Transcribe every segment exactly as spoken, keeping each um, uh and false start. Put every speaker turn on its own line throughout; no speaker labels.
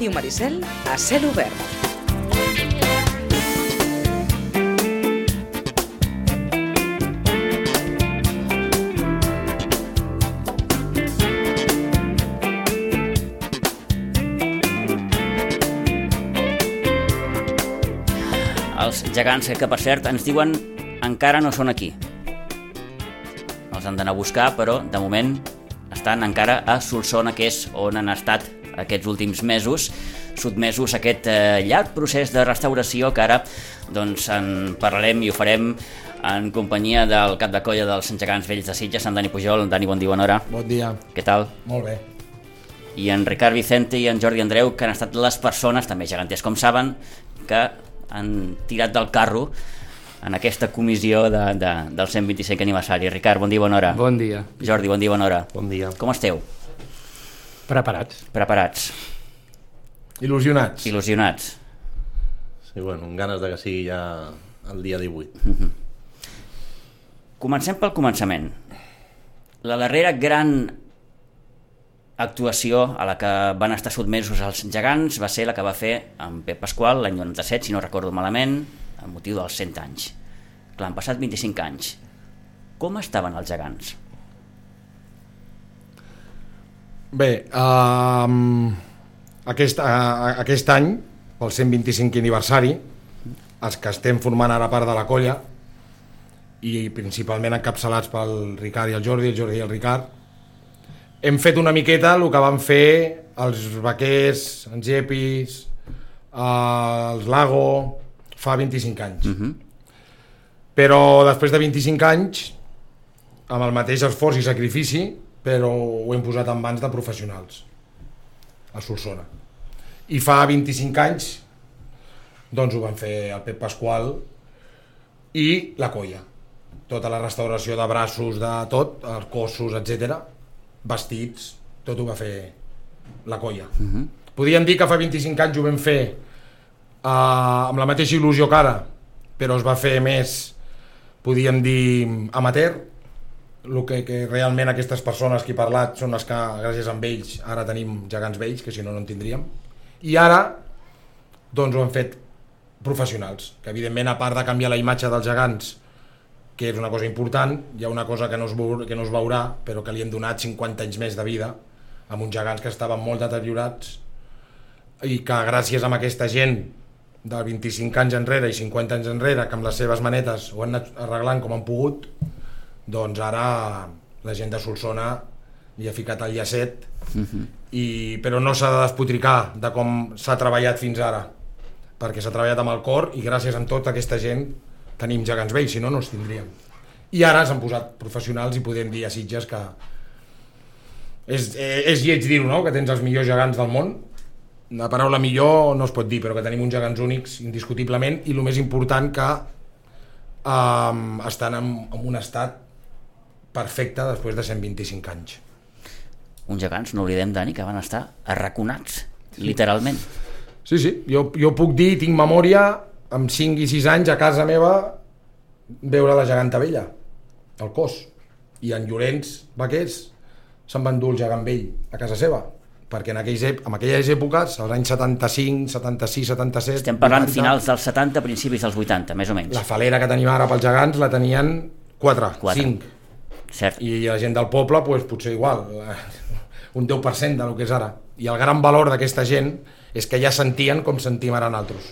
Ràdio Maricel a cel obert.
Els gegants que, per cert, ens diuen encara no són aquí. Els han d'anar a buscar, però de moment estan encara a Solsona, que és on han estat aquests últims mesos, sotmesos a aquest eh, llarg procés de restauració que ara doncs, en parlarem i ho farem en companyia del cap de colla dels gegants vells de Sitges, en Dani Pujol. Dani, bon dia, bona hora.
Bon dia.
Què tal?
Molt bé.
I en Ricard Vicente i en Jordi Andreu, que han estat les persones, també geganters com saben, que han tirat del carro en aquesta comissió de, de, del cent vint-i-cinquè aniversari. Ricard, bon dia, bona hora.
Bon dia.
Jordi, bon dia, bona hora.
Bon dia.
Com esteu?
Preparats.
Preparats.
Il·lusionats.
Il·lusionats.
Sí, bueno, amb ganes de que sigui ja el dia divuit.
Mm-hmm. Comencem pel començament. La darrera gran actuació a la que van estar sotmesos els gegants va ser la que va fer en Pep Pasqual l'any noranta-set, si no recordo malament, amb motiu dels cent anys. Clar, han passat vint-i-cinc anys. Com estaven els gegants?
Bé, uh, aquest, uh, aquest any, pel cent vint-i-cinquè aniversari, els que estem formant ara part de la colla, i principalment encapçalats pel Ricard i el Jordi, el Jordi i el Ricard, hem fet una miqueta el que van fer els vaquers, els Epis, uh, els Lago, fa vint-i-cinc anys.
Uh-huh.
Però després de vint-i-cinc anys, amb el mateix esforç i sacrifici, però ho hem posat en mans de professionals a Solsona. I fa vint-i-cinc anys doncs ho van fer el Pep Pasqual i la colla. Tota la restauració de braços, de tot, els cossos, etcètera, vestits, tot ho va fer la colla.
Uh-huh.
Podríem dir que fa vint-i-cinc anys ho vam fer uh, amb la mateixa il·lusió que ara, però es va fer més, podríem dir, amateur. El que, que realment aquestes persones que he parlat són les que, gràcies a ells, ara tenim gegants vells, que si no, no en tindríem. I ara, doncs ho han fet professionals, que evidentment, a part de canviar la imatge dels gegants, que és una cosa important, hi ha una cosa que no es, veu, que no es veurà, però que li hem donat cinquanta anys més de vida, amb uns gegants que estaven molt deteriorats, i que gràcies a aquesta gent de vint-i-cinc anys enrere i cinquanta anys enrere, que amb les seves manetes ho han anat arreglant com han pogut, doncs ara la gent de Solsona li ha ficat el llacet,
uh-huh.
i, però no s'ha de despotricar de com s'ha treballat fins ara, perquè s'ha treballat amb el cor i gràcies a tota aquesta gent tenim gegants vells, si no, no els tindríem. I ara s'han posat professionals i podem dir a Sitges que és, és lleig dir-ho, no?, que tens els millors gegants del món. La paraula millor no es pot dir, però que tenim uns gegants únics, indiscutiblement, i el més important que um, estan en, en un estat perfecte després de cent vint-i-cinc anys.
Uns gegants, no oblidem, Dani, que van estar arraconats, sí. Literalment.
Sí, sí, jo, jo puc dir, tinc memòria, amb cinc i sis anys a casa meva veure la geganta vella, el cos, i en Llorenç Vaquers se'n va endur el gegant vell a casa seva, perquè en aquelles, en aquelles èpoques, als anys setanta-cinc, setanta-sis, setanta-set...
Estem parlant
vuitanta,
finals dels setanta, principis dels vuitanta, més o menys.
La falera que tenim ara pels gegants la tenien quatre, cinc.
Cert.
I la gent del poble, pues, potser igual, un deu per cent del que és ara. I el gran valor d'aquesta gent és que ja sentien com sentim ara nosaltres.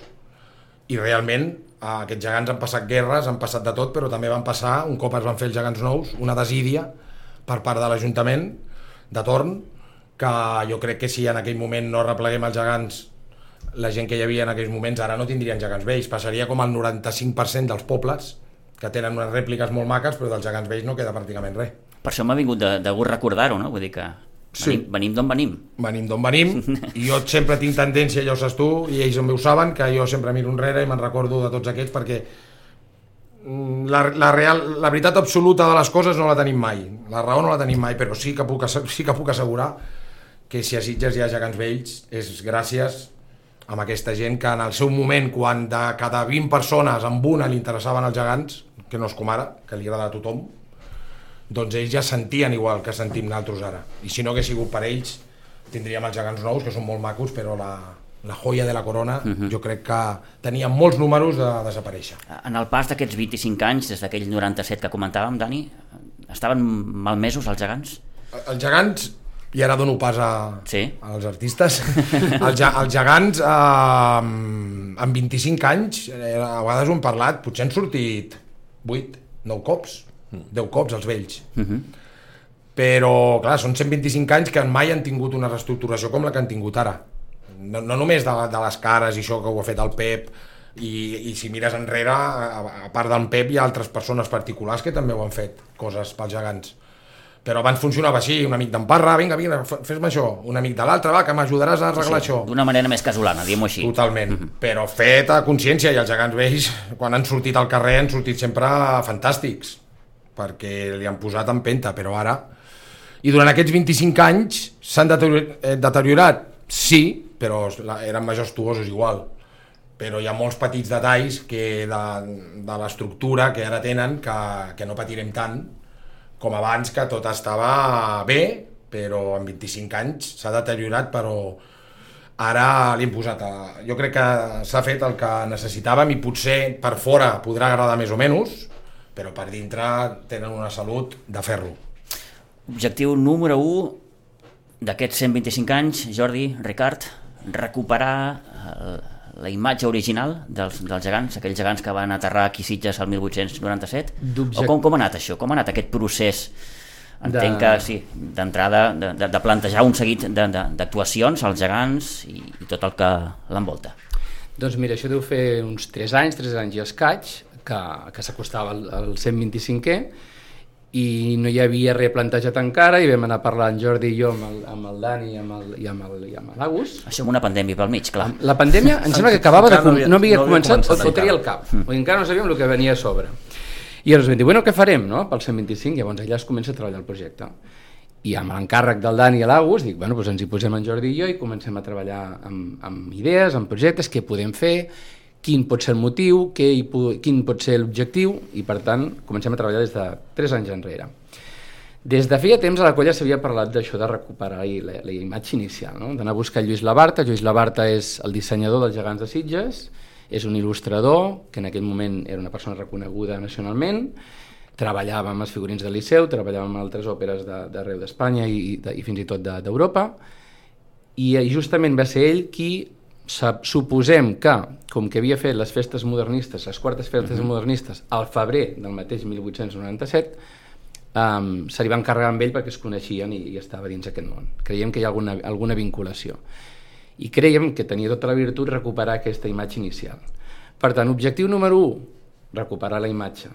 I realment aquests gegants han passat guerres, han passat de tot, però també van passar, un cop es van fer els gegants nous, una desídia per part de l'Ajuntament de torn, que jo crec que si en aquell moment no repleguem els gegants, la gent que hi havia en aquells moments ara no tindrien gegants vells, passaria com el noranta-cinc per cent dels pobles que tenen unes rèpliques molt maques, però dels gegants vells no queda pràcticament res.
Per això m'ha vingut de, de gust recordar-ho, no? Vull dir que
Sí.
Venim, venim d'on venim.
Venim d'on venim, i jo sempre tinc tendència, ja ho saps tu, i ells també ho saben, que jo sempre miro enrere i me'n recordo de tots aquests, perquè la, la, real, la veritat absoluta de les coses no la tenim mai, la raó no la tenim mai, però sí que puc, sí que puc assegurar que si a Sitges hi ha gegants vells és gràcies a aquesta gent que en el seu moment, quan de cada vint persones amb una li interessaven els gegants, que no és com ara, que li agrada a tothom, doncs ells ja sentien igual que sentim nosaltres ara, i si no hagués sigut per ells tindríem els gegants nous, que són molt macos, però la, la joia de la corona,
Uh-huh.
jo crec que tenia molts números de desaparèixer.
En el pas d'aquests vint-i-cinc anys, des d'aquell noranta-set que comentàvem, Dani, estaven malmesos els gegants?
Els gegants, i ara dono pas a,
Sí.
als artistes, els, ge- els gegants eh, amb vint-i-cinc anys, eh, a vegades ho hem parlat, potser han sortit vuit, nou cops, deu cops els vells.
Uh-huh.
Però, clar, són cent vint-i-cinc anys que mai han tingut una reestructuració com la que han tingut ara. No, no només de, de les cares i això que ho ha fet el Pep, i, i si mires enrere, a, a part del Pep hi ha altres persones particulars que també ho han fet, coses pels gegants. Però abans funcionava així, un amic d'en Parra, vinga, vinga, fes-me això, un amic de l'altre, va, que m'ajudaràs a arreglar
Sí,
això.
d'una manera més casolana, diguem-ho així.
Totalment, però fet a consciència, i els gegants vells, quan han sortit al carrer, han sortit sempre fantàstics, perquè li han posat empenta, però ara... I durant aquests vint-i-cinc anys s'han deterior- eh, deteriorat? Sí, però la- eren majestuosos igual. Però hi ha molts petits detalls que de, de l'estructura que ara tenen que, que no patirem tant com abans, que tot estava bé, però en vint-i-cinc anys s'ha deteriorat, però ara li hem posat... A... Jo crec que s'ha fet el que necessitàvem i potser per fora podrà agradar més o menys, però per dintre tenen una salut de ferro.
Objectiu número u d'aquests cent vint-i-cinc anys, Jordi, Ricard, recuperar el, la imatge original dels, dels gegants, aquells gegants que van aterrar aquí a Sitges el mil vuit-cents noranta-set.
D'object-
O com, com ha anat això? Com ha anat aquest procés? Entenc
De-
que sí, d'entrada, de, de, de plantejar un seguit de- de- d'actuacions als gegants i, i tot el que l'envolta.
Doncs mira, això deu fer uns tres anys, tres anys i escaig, que, que s'acostava al, al cent vint-i-cinquè, i no hi havia res plantejat encara, i vam anar parlant Jordi i jo amb el, amb el Dani i amb el, i amb el, i amb l'Agus.
Això amb una pandèmia pel mig, clar.
La pandèmia em sembla que acabava de...
Encara no havia-
no havia
no havia
començat,
començat
o fotria
encara.
el cap. Mm. Encara no sabíem el que venia a sobre. I llavors vam dir, bueno, què farem, no?, pel cent vint-i-cinc, llavors allà es comença a treballar el projecte. I amb l'encàrrec del Dani i l'Agus, dic, bueno, doncs ens hi posem en Jordi i jo i comencem a treballar amb, amb idees, amb projectes, què podem fer, quin pot ser el motiu, què hi, po- quin pot ser l'objectiu, i per tant comencem a treballar des de tres anys enrere. Des de feia temps a la colla s'havia parlat d'això de recuperar la, la imatge inicial, no? D'anar a buscar Lluís Labarta. Lluís Labarta és el dissenyador dels gegants de Sitges, és un il·lustrador que en aquell moment era una persona reconeguda nacionalment, treballava amb els figurins del Liceu, treballava amb altres òperes d'arreu d'Espanya i, de, i fins i tot de- d'Europa, i justament va ser ell qui, sap- suposem que, com que havia fet les festes modernistes, les quartes festes uh-huh. modernistes, al febrer del mateix mil vuit-cents noranta-set, um, se li va encarregar amb ell perquè es coneixien i, i estava dins aquest món. Creiem que hi ha alguna, alguna vinculació. I creiem que tenia tota la virtut recuperar aquesta imatge inicial. Per tant, objectiu número u, recuperar la imatge.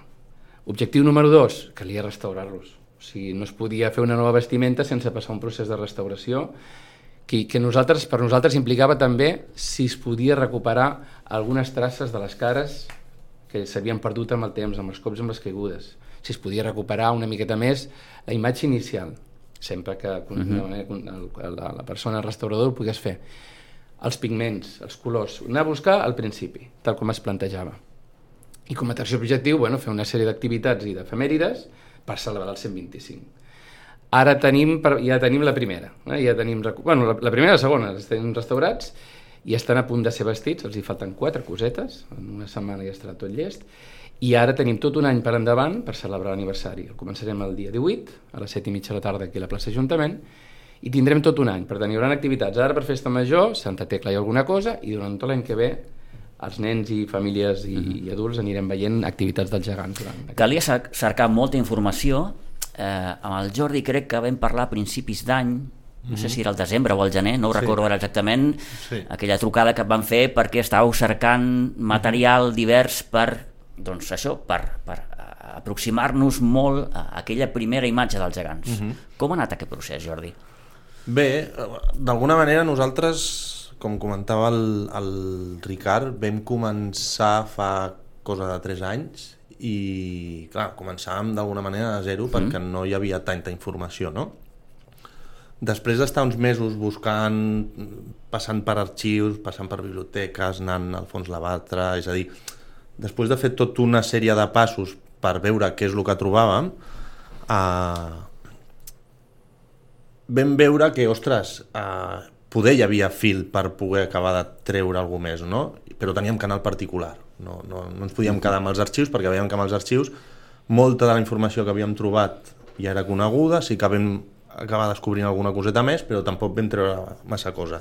Objectiu número dos, calia restaurar-los. O sigui, no es podia fer una nova vestimenta sense passar un procés de restauració que, que nosaltres, per nosaltres implicava també si es podia recuperar algunes traces de les cares que s'havien perdut amb el temps, amb els cops i amb les caigudes. Si es podia recuperar una miqueta més la imatge inicial, sempre que uh-huh. la, la persona restaurador ho pogués fer. Els pigments, els colors, anar a buscar al principi, tal com es plantejava. I com a tercer objectiu, bueno, fer una sèrie d'activitats i d'efemèrides per celebrar el cent vint-i-cinc. Ara tenim, ja tenim la primera, eh? ja tenim, bueno, la, la primera i la segona, els tenim restaurats i estan a punt de ser vestits, els hi falten quatre cosetes, en una setmana ja estarà tot llest, i ara tenim tot un any per endavant per celebrar l'aniversari. El començarem el dia divuit, a les set i mitja de la tarda aquí a la plaça Ajuntament, i tindrem tot un any. Per tant, hi haurà activitats ara per Festa Major, Santa Tecla i alguna cosa, i durant tot l'any que ve els nens i famílies i, mm-hmm. i adults anirem veient activitats dels gegants. Durant
Calia cercar molta informació. Eh, amb el Jordi crec que vam parlar a principis d'any, no sé si era el desembre o el gener, no ho
Sí.
recordo ara exactament,
Sí.
aquella trucada que et van fer perquè estàveu cercant material divers per, doncs això, per, per aproximar-nos molt a aquella primera imatge dels gegants.
Mhm.
Com ha anat aquest procés, Jordi?
Bé, d'alguna manera nosaltres, com comentava el, el Ricard, vam començar fa cosa de tres anys i, clar, començàvem d'alguna manera a zero perquè no hi havia tanta informació, no? Després d'estar uns mesos buscant, passant per arxius, passant per biblioteques, anant al fons Labarta, és a dir, després de fer tota una sèrie de passos per veure què és el que trobàvem, eh, vam veure que, ostres, eh, poder hi havia fil per poder acabar de treure alguna més, no? Però teníem canal particular, no, no, no ens podíem quedar amb els arxius perquè veiem que amb els arxius molta de la informació que havíem trobat ja era coneguda, sí que vam acabar descobrint alguna coseta més, però tampoc vam treure massa cosa.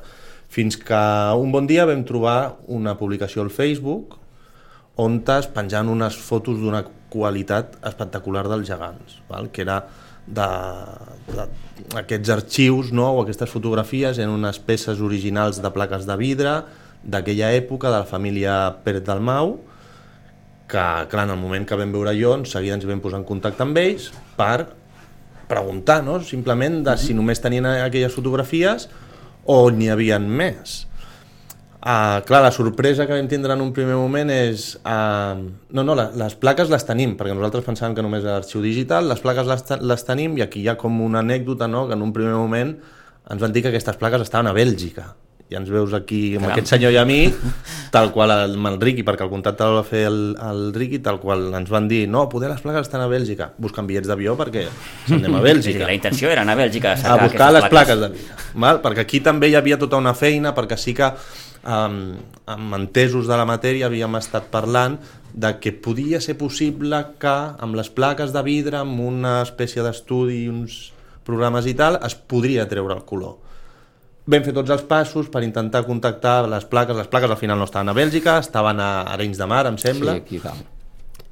Fins que un bon dia vam trobar una publicació al Facebook on es penjaven unes fotos d'una qualitat espectacular dels gegants, val? Que era d'aquests arxius, no? O aquestes fotografies en unes peces originals de plaques de vidre d'aquella època, de la família Pérez Dalmau, que clar, en el moment que vam veure jo, en seguida ens vam posar en contacte amb ells per preguntar, no? Simplement de si només tenien aquelles fotografies o n'hi havia més. Uh, clar, la sorpresa que vam tindre en un primer moment és... Uh, no, no, la, les plaques les tenim, perquè nosaltres pensàvem que només era arxiu digital, les plaques les, les tenim i aquí hi ha com una anècdota, no?, que en un primer moment ens van dir que aquestes plaques estaven a Bèlgica. I ens veus aquí amb Caram. Aquest senyor i a mi, tal qual amb el Riqui, perquè el contacte el va fer el, el Riqui, tal qual ens van dir, no, poder les plaques estan a Bèlgica, buscant bitllets d'avió perquè se'n anem a Bèlgica.
La intenció era anar a Bèlgica a,
a buscar les plaques, plaques de vida, val? Perquè aquí també hi havia tota una feina, perquè sí que Um, amb entesos de la matèria havíem estat parlant de que podia ser possible que amb les plaques de vidre, amb una espècie d'estudi i uns programes i tal, es podria treure el color. Vam fer tots els passos per intentar contactar les plaques. Les plaques al final no estaven a Bèlgica, estaven a Arenys de Mar, em sembla.
Sí, aquí dalt.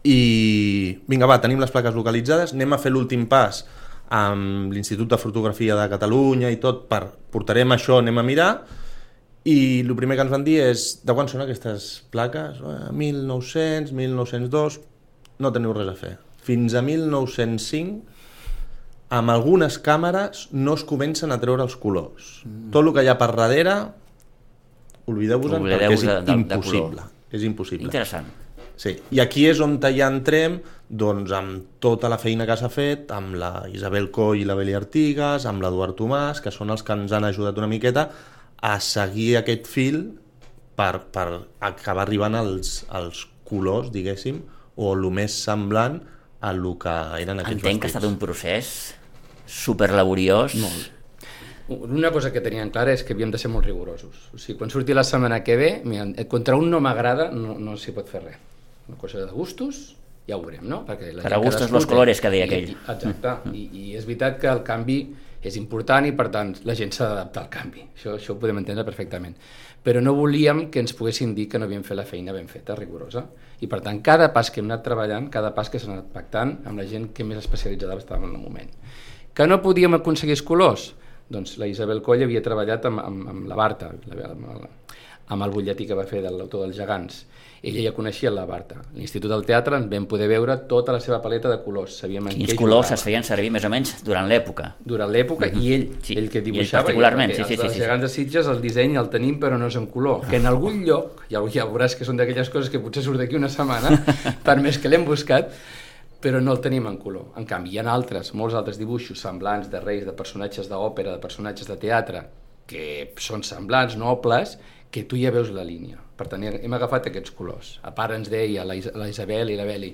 I vinga, va, tenim les plaques localitzades, anem a fer l'últim pas amb l'Institut de Fotografia de Catalunya i tot, per, portarem això, anem a mirar. I el primer que ens van dir és de quan són aquestes plaques? mil nou-cents, mil nou-cents dos, no teniu res a fer. Fins a mil nou-cents cinc, amb algunes càmeres no es comencen a treure els colors. Mm. Tot el que hi ha per darrere, oblideu-vos-en perquè és de, de, impossible. De és impossible.
Interessant.
Sí. I aquí és on ja entrem, doncs, amb tota la feina que s'ha fet, amb la Isabel Coll i la Beli Artigas, amb l'Eduard Tomàs, que són els que ens han ajudat una miqueta a seguir aquest fil per, per acabar arribant als, als colors, diguéssim, o el més semblant a el que eren aquests
Entenc
vestits.
Que ha estat un procés superlaboriós.
Molt. Una cosa que tenien clara és que havíem de ser molt rigorosos. O sigui, quan surti la setmana que ve, mira, contra un no m'agrada no, no s'hi pot fer res. Una cosa de gustos, ja ho veurem, no? Perquè la
per a gustos los colores, que deia aquell.
Exacte, I, i és veritat que el canvi és important i per tant la gent s'ha d'adaptar al canvi, això, això ho podem entendre perfectament, però no volíem que ens poguessin dir que no havíem fet la feina ben feta, rigorosa, i per tant cada pas que hem anat treballant, cada pas que s'ha anat pactant amb la gent que més especialitzada estava en el moment. Que no podíem aconseguir els colors? Doncs la Isabel Coll havia treballat amb, amb, amb la Barta, amb el, amb el butlletí que va fer de l'autor dels gegants. Ella ja coneixia la Barta. A l'Institut del Teatre en vam poder veure tota la seva paleta de colors. Sabíem en
Quins
què
colors
jugava.
Es feien servir més o menys durant l'època.
Durant l'època, mm-hmm. i ell, sí. ell que dibuixava.
I ell particularment, sí, sí, sí.
Els
sí.
gegants de Sitges, el disseny el tenim, però no és en color. Que en algun lloc, ja, ja veuràs que són d'aquelles coses que potser surt d'aquí una setmana, per més que l'hem buscat, però no el tenim en color. En canvi, hi ha altres, molts altres dibuixos semblants de reis, de personatges d'òpera, de personatges de teatre, que són semblants, nobles, que tu ja veus la línia. Per tant, hem agafat aquests colors. A part ens deia la, Is la Isabel i la Beli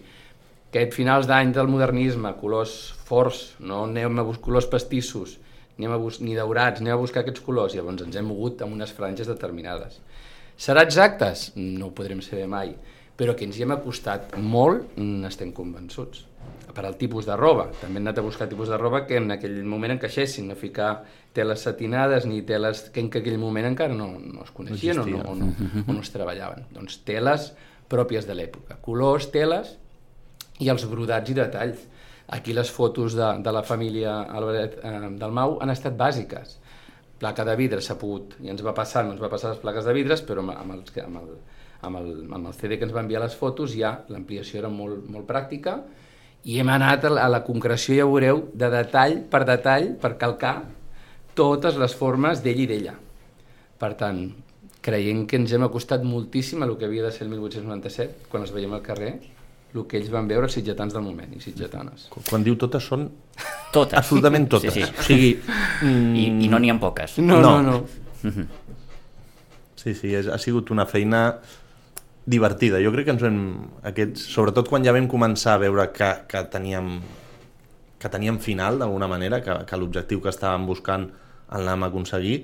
que a finals d'any del modernisme, colors forts, no anem a buscar colors pastissos, anem a bus ni daurats, anem a buscar aquests colors, i llavors ens hem mogut amb unes franges determinades. Serà exactes? No ho podrem saber mai, però que ens hi hem acostat molt, n'estem convençuts. Per al tipus de roba, també hem anat a buscar tipus de roba que en aquell moment encaixessin, no ficar teles satinades ni teles que en aquell moment encara no, no es coneixien no o, no, o, no, o no es treballaven. Doncs teles pròpies de l'època, colors, teles i els brodats i detalls. Aquí les fotos de, de la família Albert eh, Dalmau han estat bàsiques. Placa de vidre s'ha pogut, i ens va passar, no ens va passar les plaques de vidres, però amb, amb, els, amb, el, amb, el, amb el C D que ens va enviar les fotos ja l'ampliació era molt, molt pràctica, i hem anat a la concreció, ja ho veureu, de detall per detall, per calcar totes les formes d'ell i d'ella. Per tant, creiem que ens hem acostat moltíssim a el que havia de ser el mil vuit-cents noranta-set, quan els veiem al carrer, el que ells van veure, els sitgetans del moment, i sitgetanes.
Quan diu totes, són
totes.
Absolutament totes.
Sí, sí.
O sigui,
mm... I, I no n'hi ha poques.
No, no, no.
no.
Sí, sí, és, ha sigut una feina divertida. Jo crec que ens hem... Aquests, sobretot quan ja vam començar a veure que, que teníem que teníem final, d'alguna manera, que, que l'objectiu que estàvem buscant el vam aconseguir,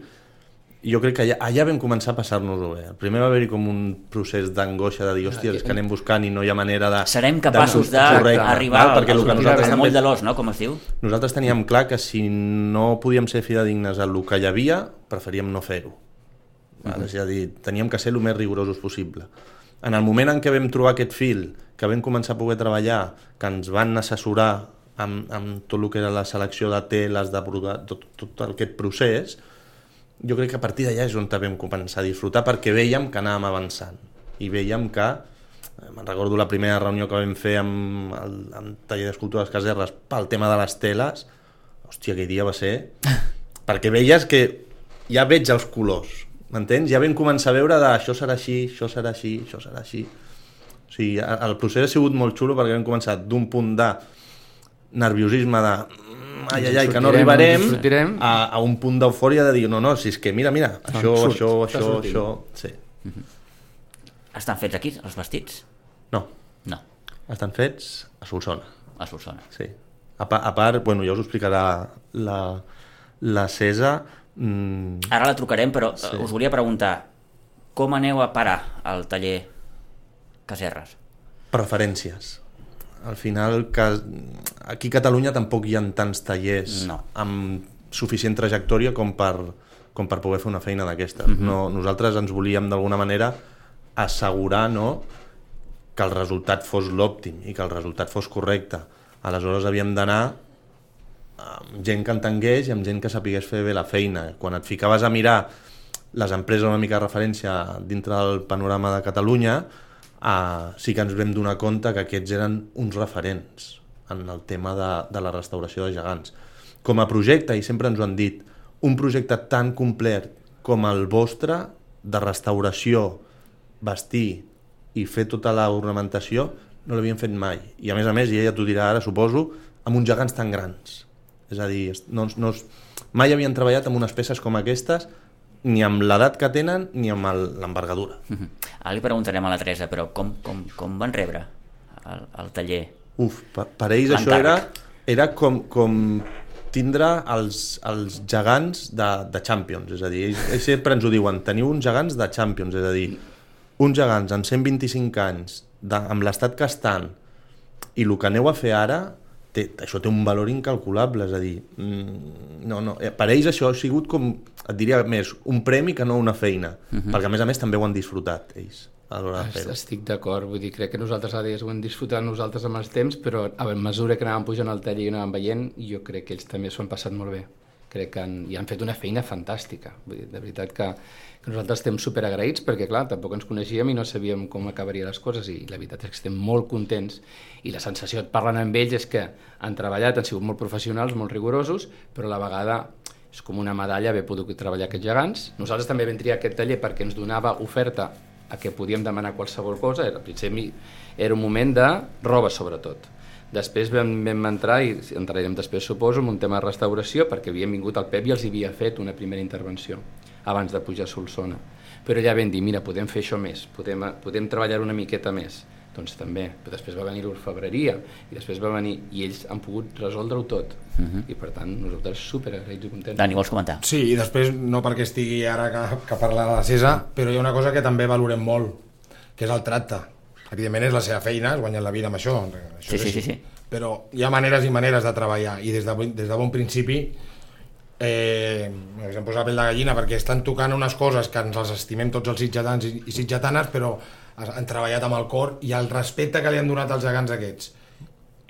jo crec que allà, allà vam començar a passar-nos-ho bé. Primer va haver-hi com un procés d'angoixa de dir, hòstia, és que anem buscant i no hi ha manera de...
Serem capaços d'arribar al, al, al, al moll de l'os, no?, com es diu.
Nosaltres teníem clar que si no podíem ser fidedignes al que hi havia, preferíem no fer-ho. Uh-huh. És a dir, teníem que ser el més rigorosos possible. En el moment en què vam trobar aquest fil, que vam començar a poder treballar, que ens van assessorar amb, amb tot el que era la selecció de teles, de tot, tot aquest procés, jo crec que a partir d'allà és on vam començar a disfrutar, perquè veiem que anàvem avançant i veiem que, me'n recordo la primera reunió que vam fer amb el amb taller d'escultura dels Caserres pel tema de les teles, hòstia, aquell dia va ser perquè veies que ja veig els colors, m'entens? Ja vam començar a veure de això serà així, això serà així, això serà així. O sigui, el procés ha sigut molt xulo perquè vam començar d'un punt de nerviosisme de ai, ai, ai, que no arribarem a, a un punt d'eufòria de dir, no, no, si és que mira, mira, això, ah, això, això, això, sí.
Uh-huh. Estan fets aquí, els vestits?
No.
No.
Estan fets a Solsona.
A Solsona.
Sí. A, pa, a part, bueno, ja us ho explicarà la, la Cesa. Mm...
Ara la trucarem, però sí. Us volia preguntar, com aneu a parar al taller Caserres?
Preferències. Al final, que aquí a Catalunya tampoc hi ha tants tallers no. amb suficient trajectòria com per, com per poder fer una feina d'aquestes. Uh-huh. No, nosaltres ens volíem d'alguna manera assegurar, no?, que el resultat fos l'òptim i que el resultat fos correcte. Aleshores havíem d'anar amb gent que entengués i amb gent que sapigués fer bé la feina. Quan et ficaves a mirar les empreses una mica de referència dintre del panorama de Catalunya, Uh, sí que ens vam donar compte que aquests eren uns referents en el tema de, de la restauració de gegants. Com a projecte, i sempre ens ho han dit, un projecte tan complet com el vostre, de restauració, vestir i fer tota l'ornamentació, no l'havien fet mai. I a més a més, i ella t'ho dirà ara, suposo, amb uns gegants tan grans. És a dir, no, no, mai havien treballat amb unes peces com aquestes, ni amb l'edat que tenen ni amb l'envergadura.
Uh-huh. Ara li preguntarem a la Teresa, però com, com, com van rebre el, el taller?
Uf, per, per ells això era, era com, com tindre els, els gegants de, de Champions, és a dir, ells, ells sempre ens ho diuen, teniu uns gegants de Champions, és a dir, uns gegants amb cent vint-i-cinc anys, de, amb l'estat que estan, i el que aneu a fer ara, té, això té un valor incalculable, és a dir, no, no, per ells això ha sigut com, et diria més, un premi que no una feina, uh-huh. perquè a més a més també ho han disfrutat ells a l'hora de fer-ho.
Estic d'acord, vull dir, crec que nosaltres ara ho hem disfrutat nosaltres amb els temps, però a mesura que anàvem pujant al taller i anàvem veient, jo crec que ells també s'ho han passat molt bé. Crec que han, i han fet una feina fantàstica. Vull dir, de veritat que, que nosaltres estem superagraïts perquè, clar, tampoc ens coneixíem i no sabíem com acabarien les coses i la veritat és que estem molt contents i la sensació parlant amb ells és que han treballat, han sigut molt professionals, molt rigorosos, però a la vegada és com una medalla haver pogut treballar aquests gegants. Nosaltres també vam triar aquest taller perquè ens donava oferta a que podíem demanar qualsevol cosa. Al principi era un moment de roba, sobretot. Després vam, vam entrar, i entrarem després, suposo, en un tema de restauració, perquè havíem vingut al Pep i els havia fet una primera intervenció abans de pujar a Solsona. Però ja vam dir, mira, podem fer això més, podem, podem treballar una miqueta més. Doncs també. Però després va venir l'orfebreria, i després va venir, i ells han pogut resoldre-ho tot. Uh-huh. I per tant, nosaltres superagraïts i contents.
Dani, vols comentar?
Sí, i després, no perquè estigui ara que, que parla de la Cesa, però hi ha una cosa que també valorem molt, que és el tracte. Evidentment és la seva feina, es guanyen la vida amb això, això
sí, sí, sí, sí.
Però hi ha maneres i maneres de treballar, i des de, des de bon principi eh, ens hem posat la pell de gallina perquè estan tocant unes coses que ens els estimem tots els sitjatans i, i sitjatanes, però han treballat amb el cor, i el respecte que li han donat als gegants aquests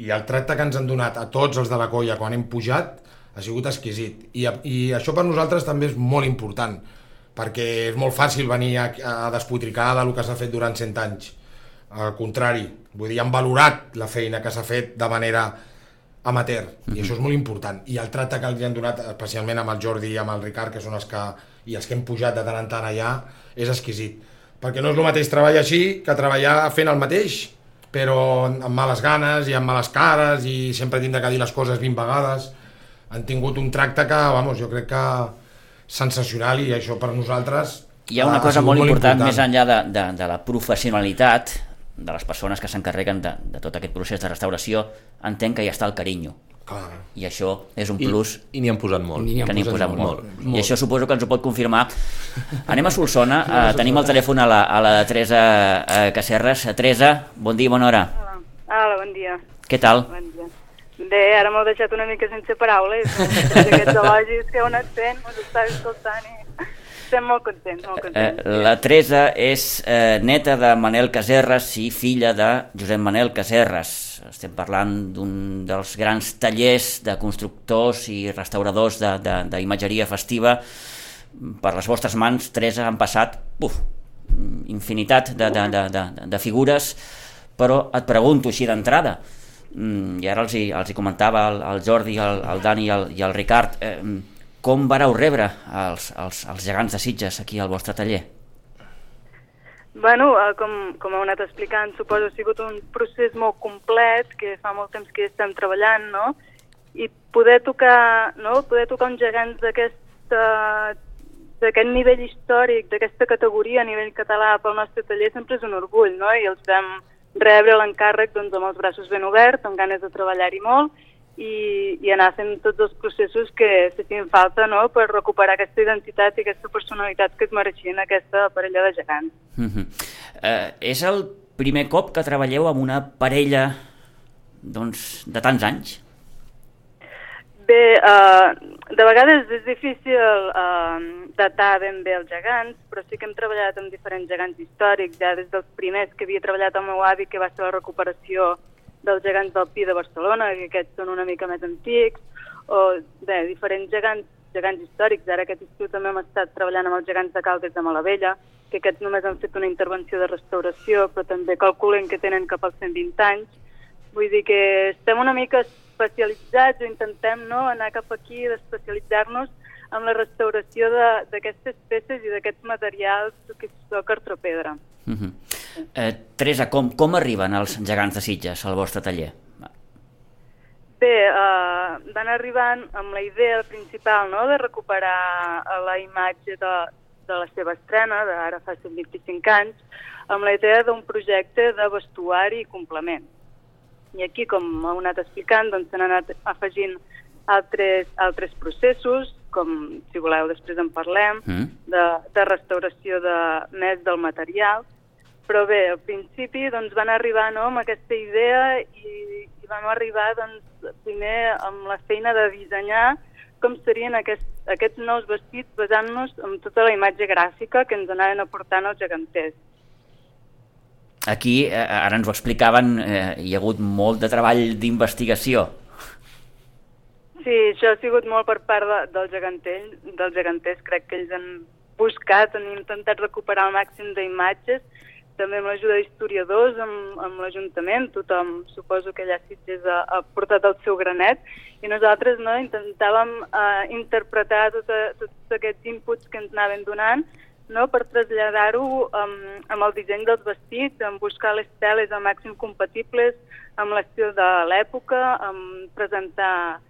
i el tracte que ens han donat a tots els de la colla quan hem pujat ha sigut exquisit, i, i això per nosaltres també és molt important, perquè és molt fàcil venir a, a despotricar del que s'ha fet durant cent anys. Al contrari, vull dir, han valorat la feina que s'ha fet de manera amateur, mm-hmm. i això és molt important, i el tracte que els han donat, especialment amb el Jordi i amb el Ricard, que són els que, i els que hem pujat de tant en tant allà, és exquisit, perquè no és el mateix treballar així que treballar fent el mateix, però amb males ganes i amb males cares i sempre tindre que dir les coses vint vegades. Han tingut un tracte que, vamos, jo crec que sensacional, i això per nosaltres
hi ha una cosa molt, molt important, important més enllà de, de, de la professionalitat de les persones que s'encarreguen de, de tot aquest procés de restauració. Entenc que hi està el carinyo.
Clar.
I això és un plus.
I, i n'hi han posat molt.
I n'hi han
que n'hi
posat
posat
molt,
molt.
molt.
I això suposo que ens ho pot confirmar. Anem a Solsona, uh, tenim el telèfon a la, a la Teresa uh, Casserres. Teresa, bon dia, bona hora.
Hola. Hola, bon dia.
Què tal?
Bon dia. Bé, ara m'heu deixat una mica sense paraules. Aquests elogis que heu anat fent, us estava escoltant i estem molt contents, molt contents.
Eh, la Teresa és eh, neta de Manel Casserres i filla de Josep Manel Casserres. Estem parlant d'un dels grans tallers de constructors i restauradors d'imatgeria festiva. Per les vostres mans, Teresa, han passat uf, infinitat de, de, de, de, de figures, però et pregunto així d'entrada, i ara els hi, els hi comentava el, el Jordi, el, el Dani i el, i el Ricard, eh, com vareu rebre els, els, els gegants de Sitges aquí al vostre taller?
Bueno, eh, com, com heu anat explicant, suposo que ha sigut un procés molt complet, que fa molt temps que hi estem treballant, no? I poder tocar, no? Poder tocar uns gegants d'aquesta d'aquest nivell històric, d'aquesta categoria a nivell català pel nostre taller sempre és un orgull, no? I els vam rebre l'encàrrec doncs, amb els braços ben oberts, amb ganes de treballar-hi molt, i, i anar fent tots els processos que fessin falta, no?, per recuperar aquesta identitat i aquesta personalitat que es mereixien aquesta parella de gegants.
Uh-huh. eh, és el primer cop que treballeu amb una parella doncs, de tants anys?
Bé, eh, de vegades és difícil eh, datar ben bé els gegants, però sí que hem treballat amb diferents gegants històrics, ja des dels primers que havia treballat el meu avi, que va ser la recuperació dels gegants del Pi de Barcelona, que aquests són una mica més antics, o bé, diferents gegants, gegants històrics. Ara aquest estiu també hem estat treballant amb els gegants de Caldes de Malavella, que aquests només han fet una intervenció de restauració, però també calculen que tenen cap als cent vint anys. Vull dir que estem una mica especialitzats o intentem, no, anar cap aquí, d'especialitzar-nos amb la restauració d'aquestes peces i d'aquests materials que és cartropedra.
Uh-huh. eh, Teresa, com, com arriben els gegants de Sitges al vostre taller?
Bé, eh, van arribant amb la idea principal, no?, de recuperar la imatge de, de la seva estrena, d'ara fa cent vint-i-cinc anys, amb la idea d'un projecte de vestuari i complement. I aquí, com heu anat explicant, doncs s'han anat afegint altres, altres processos, com, si voleu, després en parlem, mm. de, de restauració de, més del material. Però bé, al principi doncs, van arribar, no?, amb aquesta idea i, i vam arribar doncs, primer amb la feina de dissenyar com serien aquest, aquests nous vestits basant-nos en tota la imatge gràfica que ens anaven aportant els geganters.
Aquí, eh, ara ens ho explicaven, eh, hi ha hagut molt de treball d'investigació.
Sí, això ha sigut molt per part de, del gegantell, dels geganters. Crec que ells han buscat, han intentat recuperar el màxim d'imatges, també amb l'ajuda d'historiadors, amb, amb l'Ajuntament. Tothom, suposo que allà Sitges ha, ha portat el seu granet, i nosaltres, no, intentàvem eh, interpretar tota, tots aquests inputs que ens anaven donant, no, per traslladar-ho um, amb el disseny dels vestits, amb buscar les teles al màxim compatibles amb l'estil de l'època, amb presentar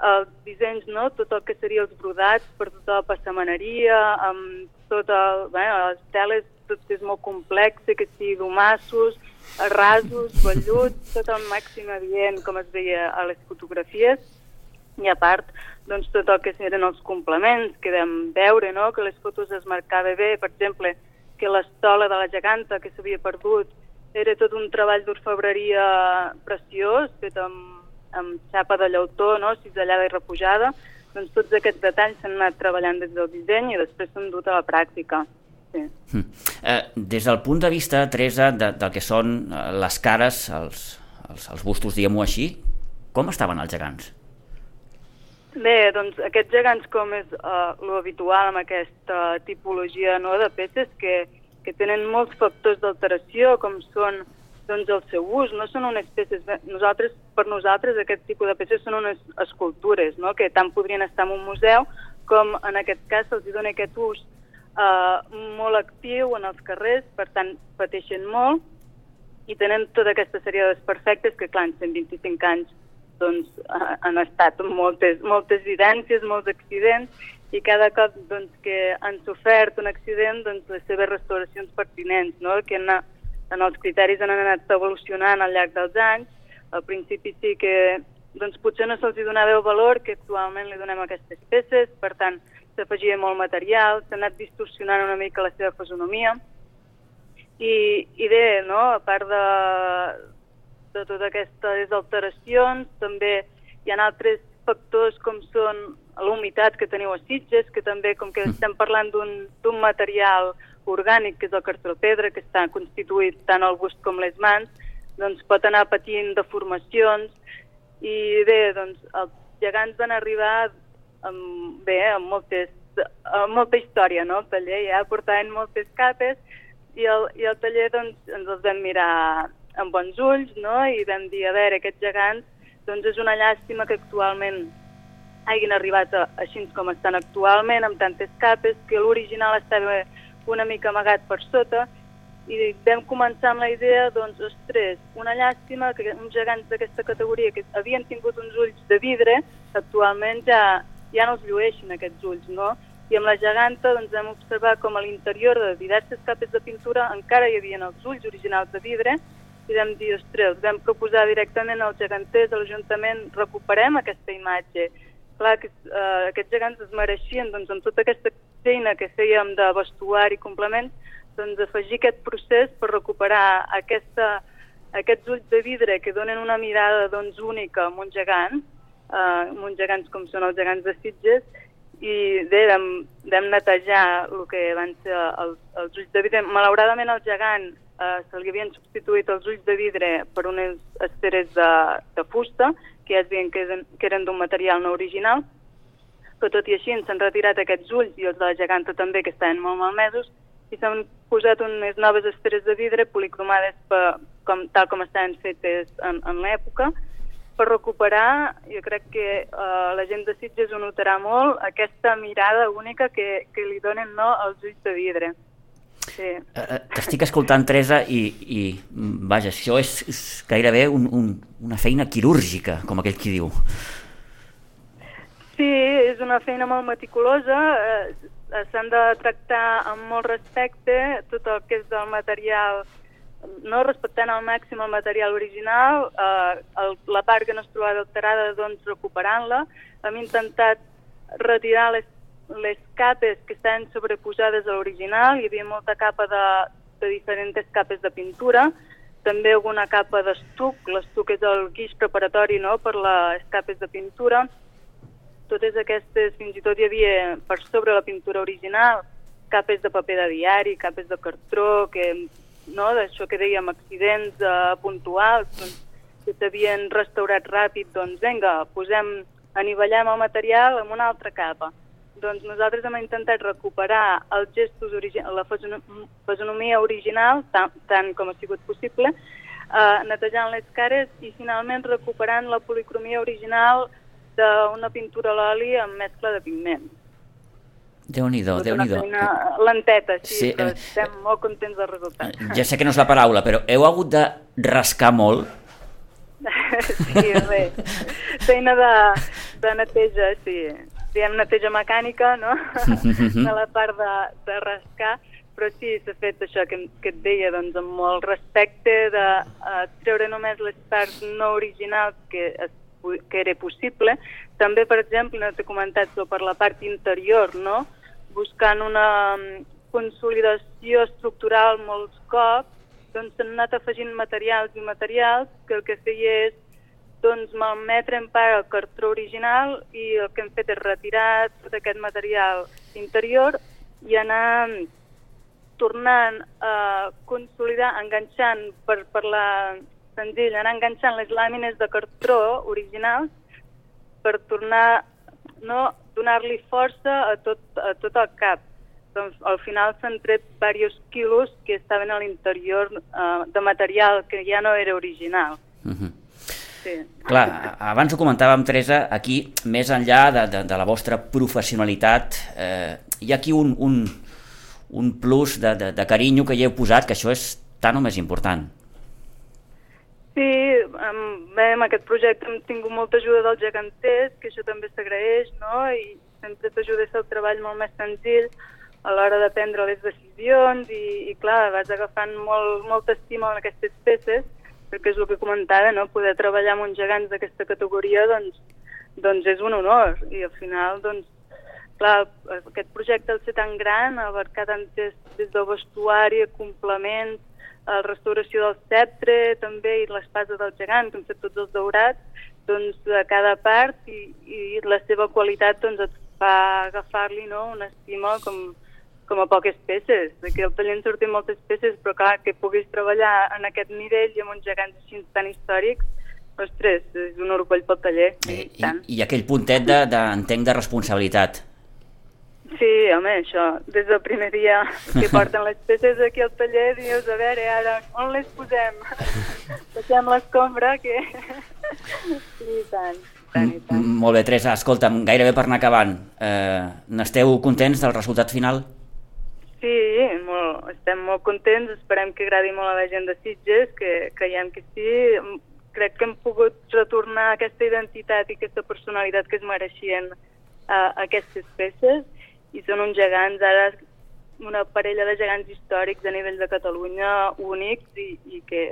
els dissenys, no, tot el que seria els brodats per tota la passamaneria, amb tot el, bé, les teles, tot que és molt complex, que sigui domassos, rasos, velluts, tot el màxim adient, com es veia a les fotografies. I a part, doncs, tot el que eren els complements, que vam veure, no?, que les fotos es marcava bé, per exemple, que l'estola de la geganta que s'havia perdut era tot un treball d'orfebreria preciós, fet amb, amb xapa de llautó, no?, cisellada i repujada. Doncs tots aquests detalls s'han anat treballant des del disseny i després s'han dut a la pràctica. Sí.
Mm. Eh, des del punt de vista, Teresa, de, del que són les cares, els, els, els bustos, diguem-ho així, com estaven els gegants?
Bé, doncs aquests gegants, com és uh, l'habitual amb aquesta tipologia, no, de peces, que, que tenen molts factors d'alteració, com són doncs, el seu ús, no són unes peces, nosaltres, per nosaltres aquest tipus de peces són unes escultures, no?, que tant podrien estar en un museu com en aquest cas se'ls dona aquest ús uh, molt actiu en els carrers, per tant pateixen molt i tenen tota aquesta sèrie de desperfectes que, clar, en cent vint-i-cinc anys doncs, han estat moltes, moltes vivències, molts accidents, i cada cop doncs, que han sofert un accident, doncs, les seves restauracions pertinents, no?, que en, en els criteris han anat evolucionant al llarg dels anys. Al principi sí que doncs potser no se'ls donava el valor que actualment li donem a aquestes peces, per tant, s'afegia molt material, s'ha anat distorsionant una mica la seva fisonomia, i, i bé, no? A part de, de totes aquestes alteracions, també hi ha altres factors com són la humitat que teniu a Sitges, que també, com que estem parlant d'un material orgànic, que és el cartropedra, que està constituït tant el bust com les mans, doncs pot anar patint deformacions, i bé, doncs els gegants van arribar amb, bé, amb, moltes, amb molta història, no? El taller ja portaven moltes capes, i el, i el taller doncs, ens els vam mirar amb bons ulls, no? I vam dir, a veure, aquests gegants, doncs és una llàstima que actualment hagin arribat a, així com estan actualment, amb tantes capes, que l'original estava una mica amagat per sota, i vam començar amb la idea, doncs, ostres, una llàstima que uns gegants d'aquesta categoria que havien tingut uns ulls de vidre, actualment ja, ja no els llueixin aquests ulls, no? I amb la geganta doncs, vam observar com a l'interior de diverses capes de pintura encara hi havia els ulls originals de vidre, i vam dir, ostres, els vam proposar directament als geganters, a l'Ajuntament, recuperem aquesta imatge. Clar que eh, aquests gegants es mereixien, doncs, amb tota aquesta feina que fèiem de vestuari i complements, doncs afegir aquest procés per recuperar aquesta, aquests ulls de vidre que donen una mirada doncs, única amb un gegant, eh, amb uns gegants com són els gegants de Sitges, i bé, vam, vam netejar el que van ser els, els ulls de vidre. Malauradament al gegant eh, se li havien substituït els ulls de vidre per unes esteres de, de fusta, que ja es veien que eren, que eren d'un material no original, però tot i així s'han retirat aquests ulls i els de la geganta també, que estaven molt malmesos, i s'han posat unes noves esteres de vidre policromades per, com, tal com estaven fetes en, en l'època, per recuperar, jo crec que eh, la gent de Sitges ho notarà molt, aquesta mirada única que, que li donen no, els ulls de vidre. Sí.
T'estic escoltant, Teresa, i, i vaja, això és, és gairebé un, un, una feina quirúrgica, com aquell qui diu.
Sí, és una feina molt meticulosa, eh, s'han de tractar amb molt respecte tot el que és del material, no respectant al màxim el material original, eh, el, la part que no es trobava alterada, doncs recuperant-la. Hem intentat retirar les, les capes que estaven sobreposades a l'original, hi havia molta capa de, de diferents capes de pintura, també alguna capa d'estuc, l'estuc és el guix preparatori no, per les capes de pintura. Totes aquestes, fins i tot hi havia per sobre la pintura original, capes de paper de diari, capes de cartró, que, no, d'això que dèiem, accidents eh, puntuals, doncs, que s'havien restaurat ràpid, doncs vinga, posem, anivellem el material amb una altra capa. Doncs nosaltres hem intentat recuperar els gestos, la fisonomia original, tant, tant com ha sigut possible, eh, netejant les cares i finalment recuperant la policromia original d'una pintura a l'oli amb mescla de pigment.
Déu-n'hi-do, Déu-n'hi-do.
Una feina lenteta, sí, sí, però
eh,
estem molt contents del resultat.
Ja sé que no és la paraula, però heu hagut de rascar molt?
Sí, bé. Feina de, de neteja, sí. Diem neteja mecànica, no? De la part de, de rascar, però sí, s'ha fet això que, que et deia, doncs, amb molt respecte de uh, treure només les parts no originals que es que era possible. També, per exemple, no t'he comentat per la part interior, no? Buscant una consolidació estructural molts cops, doncs s'han anat afegint materials i materials que el que feia és doncs, malmetre en part el cartró original i el que hem fet és retirar tot aquest material interior i anar tornant a consolidar, enganxant per, per la senzill, anar enganxant les làmines de cartró originals per tornar, no, donar-li força a tot, a tot el cap. Doncs al final s'han tret diversos quilos que estaven a l'interior eh, de material que ja no era original.
Uh-huh.
Sí.
Clar, abans ho comentàvem, Teresa, aquí, més enllà de, de, de la vostra professionalitat, eh, hi ha aquí un, un, un plus de, de, de carinyo que hi heu posat, que això és tan o més important.
Sí, bé, amb aquest projecte hem tingut molta ajuda dels geganters, que això també s'agraeix, no? I sempre t'ajuda a fer el treball molt més senzill a l'hora de prendre les decisions i, i clar, vas agafant molt, molta estima en aquestes peces perquè és el que comentava, no? Poder treballar amb uns gegants d'aquesta categoria doncs, doncs és un honor, i al final doncs, clar, aquest projecte al ser tan gran, abarcar tant des, des del vestuari, complement, la restauració del sceptre també, i l'espasa del gegant, que hem fet tots els daurats, doncs a cada part, i, i la seva qualitat doncs, et fa agafar-li, no? Una estima com, com a poques peces. Aquí al taller en sortim moltes peces, però clar, que puguis treballar en aquest nivell i amb uns gegants així tan històrics, ostres, és un orgull pel taller.
I, i, i aquell puntet de, de, entenc, de responsabilitat.
Sí, home, això, des del primer dia que porten les peces aquí al taller, dius, a veure, ara, on les posem? Passem l'escombra, que... Sí, tant, tant i tant.
Molt bé, Teresa, escolta'm, gairebé per anar acabant, eh, n'esteu contents del resultat final?
Sí, molt, estem molt contents, esperem que agradi molt a la gent de Sitges, que creiem que sí. Crec que hem pogut retornar aquesta identitat i aquesta personalitat que es mereixien a aquestes peces, i són uns gegants, ara una parella de gegants històrics a nivell de Catalunya únics, i, i que,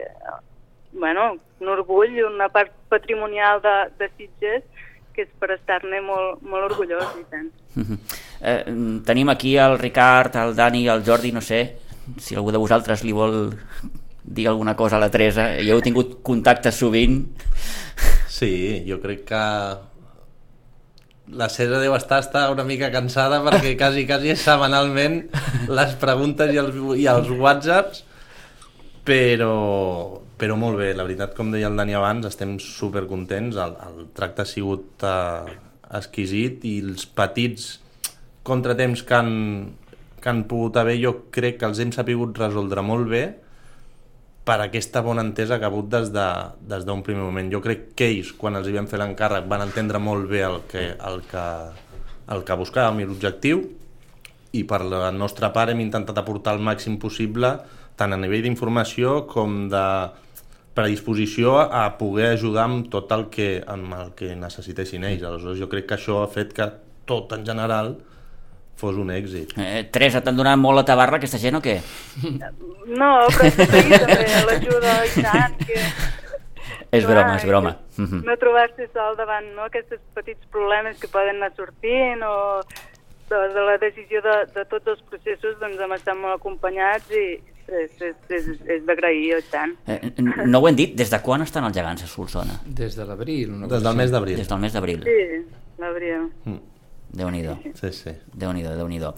bueno, un orgull, una part patrimonial de, de Sitges, que és per estar-ne molt, molt orgullós, i tant.
Eh, tenim aquí el Ricard, el Dani i el Jordi, no sé si algú de vosaltres li vol dir alguna cosa a la Teresa, i heu tingut contacte sovint.
Sí, jo crec que la Cera deu estar, estar una mica cansada, perquè quasi, quasi és setmanalment les preguntes i els, i els whatsapps, però, però molt bé, la veritat, com deia el Dani abans, estem supercontents, el, el tracte ha sigut eh, exquisit, i els petits contratemps que han, que han pogut haver, jo crec que els hem sapigut resoldre molt bé, per aquesta bona entesa que ha hagut des d'un de, des primer moment. Jo crec que ells, quan els hi vam fer l'encàrrec, van entendre molt bé el que, el que, el que buscàvem i l'objectiu, i per la nostra part hem intentat aportar el màxim possible, tant a nivell d'informació com de predisposició a poder ajudar amb tot el que, amb el que necessitessin ells. Aleshores, jo crec que això ha fet que tot en general fos un èxit.
Eh, Teresa, t'han donat molt la tabarra aquesta gent o què?
No, però també l'ajuda i tant, que...
És broma, és broma.
No trobar-se sol davant, no, aquests petits problemes que poden anar sortint, o de, de la decisió de, de tots els processos, doncs hem estat molt acompanyats, i és, és, és, és d'agrair, i tant.
Eh, no ho hem dit, des de quan estan els gegants a Solsona?
Des de l'abril.
Des del mes d'abril.
Des del mes d'abril.
Sí, l'abril.
Mm.
Déu-n'hi-do.
Sí, sí.
Déu-n'hi-do, Déu-n'hi-do.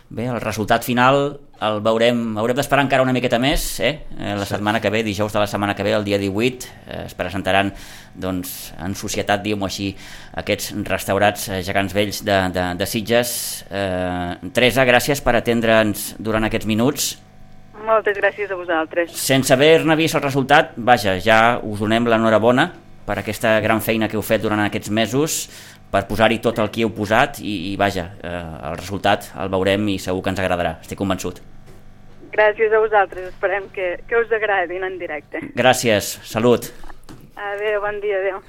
Bé, el resultat final el veurem, haurem d'esperar encara una miqueta més, eh? La setmana que ve, dijous de la setmana que ve, el dia divuit, eh, es presentaran, doncs, en societat, diguem-ho així, aquests restaurats eh, gegants vells de, de, de Sitges. Eh, Teresa, gràcies per atendre'ns durant aquests minuts.
Moltes gràcies a vosaltres.
Sense haver-ne vist el resultat, vaja, ja us donem l'enhorabona per aquesta gran feina que heu fet durant aquests mesos, per posar-hi tot el que heu posat, i, i vaja, eh, el resultat el veurem i segur que ens agradarà, estic convençut.
Gràcies a vosaltres, esperem que, que us agradin en directe.
Gràcies, salut.
Adéu, bon dia, adéu.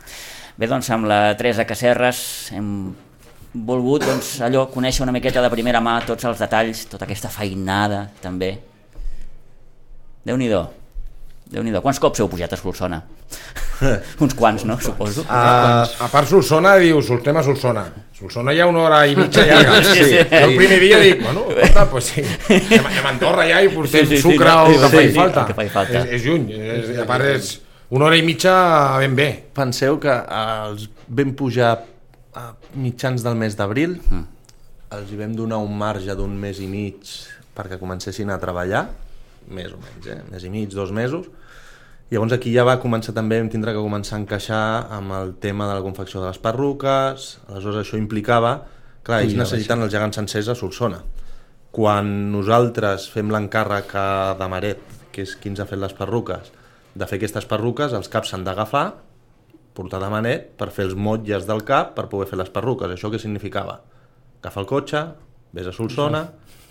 Bé, doncs amb la Teresa Casserres hem volgut, doncs, allò, conèixer una miqueta de primera mà tots els detalls, tota aquesta feinada també. Déu-n'hi-do. Déu-n'hi-do. Quants cops heu pujat a Solsona? Uns quants, no? Suposo.
A, a part Solsona, diu, sortem a Solsona. Solsona hi ha una hora i mitja llarga.
Sí, sí.
El primer dia dic, bueno, escolta, pues sí, anem, anem a Andorra ja i portem
Sí, sí, sí,
sucre
no,
o
sí,
que
sí,
faci
sí,
falta.
el que faci falta.
És, és lluny, és, a part és una hora i mitja ben bé.
Penseu que els vam pujar a mitjans del mes d'abril, mm. els hi vam donar un marge d'un mes i mig perquè comencessin a treballar, més o menys, eh? mes i mig, dos mesos. Llavors aquí ja va començar també, vam tindre que començar a encaixar amb el tema de la confecció de les perruques. Aleshores això implicava, clar, ells necessiten els gegants sencers a Solsona. Quan nosaltres fem l'encàrrec de Maret, que és qui ens ha fet les perruques, de fer aquestes perruques, els caps s'han d'agafar, portar de Manet per fer els motlles del cap per poder fer les perruques. Això què significava? Agafa el cotxe, vés a Solsona,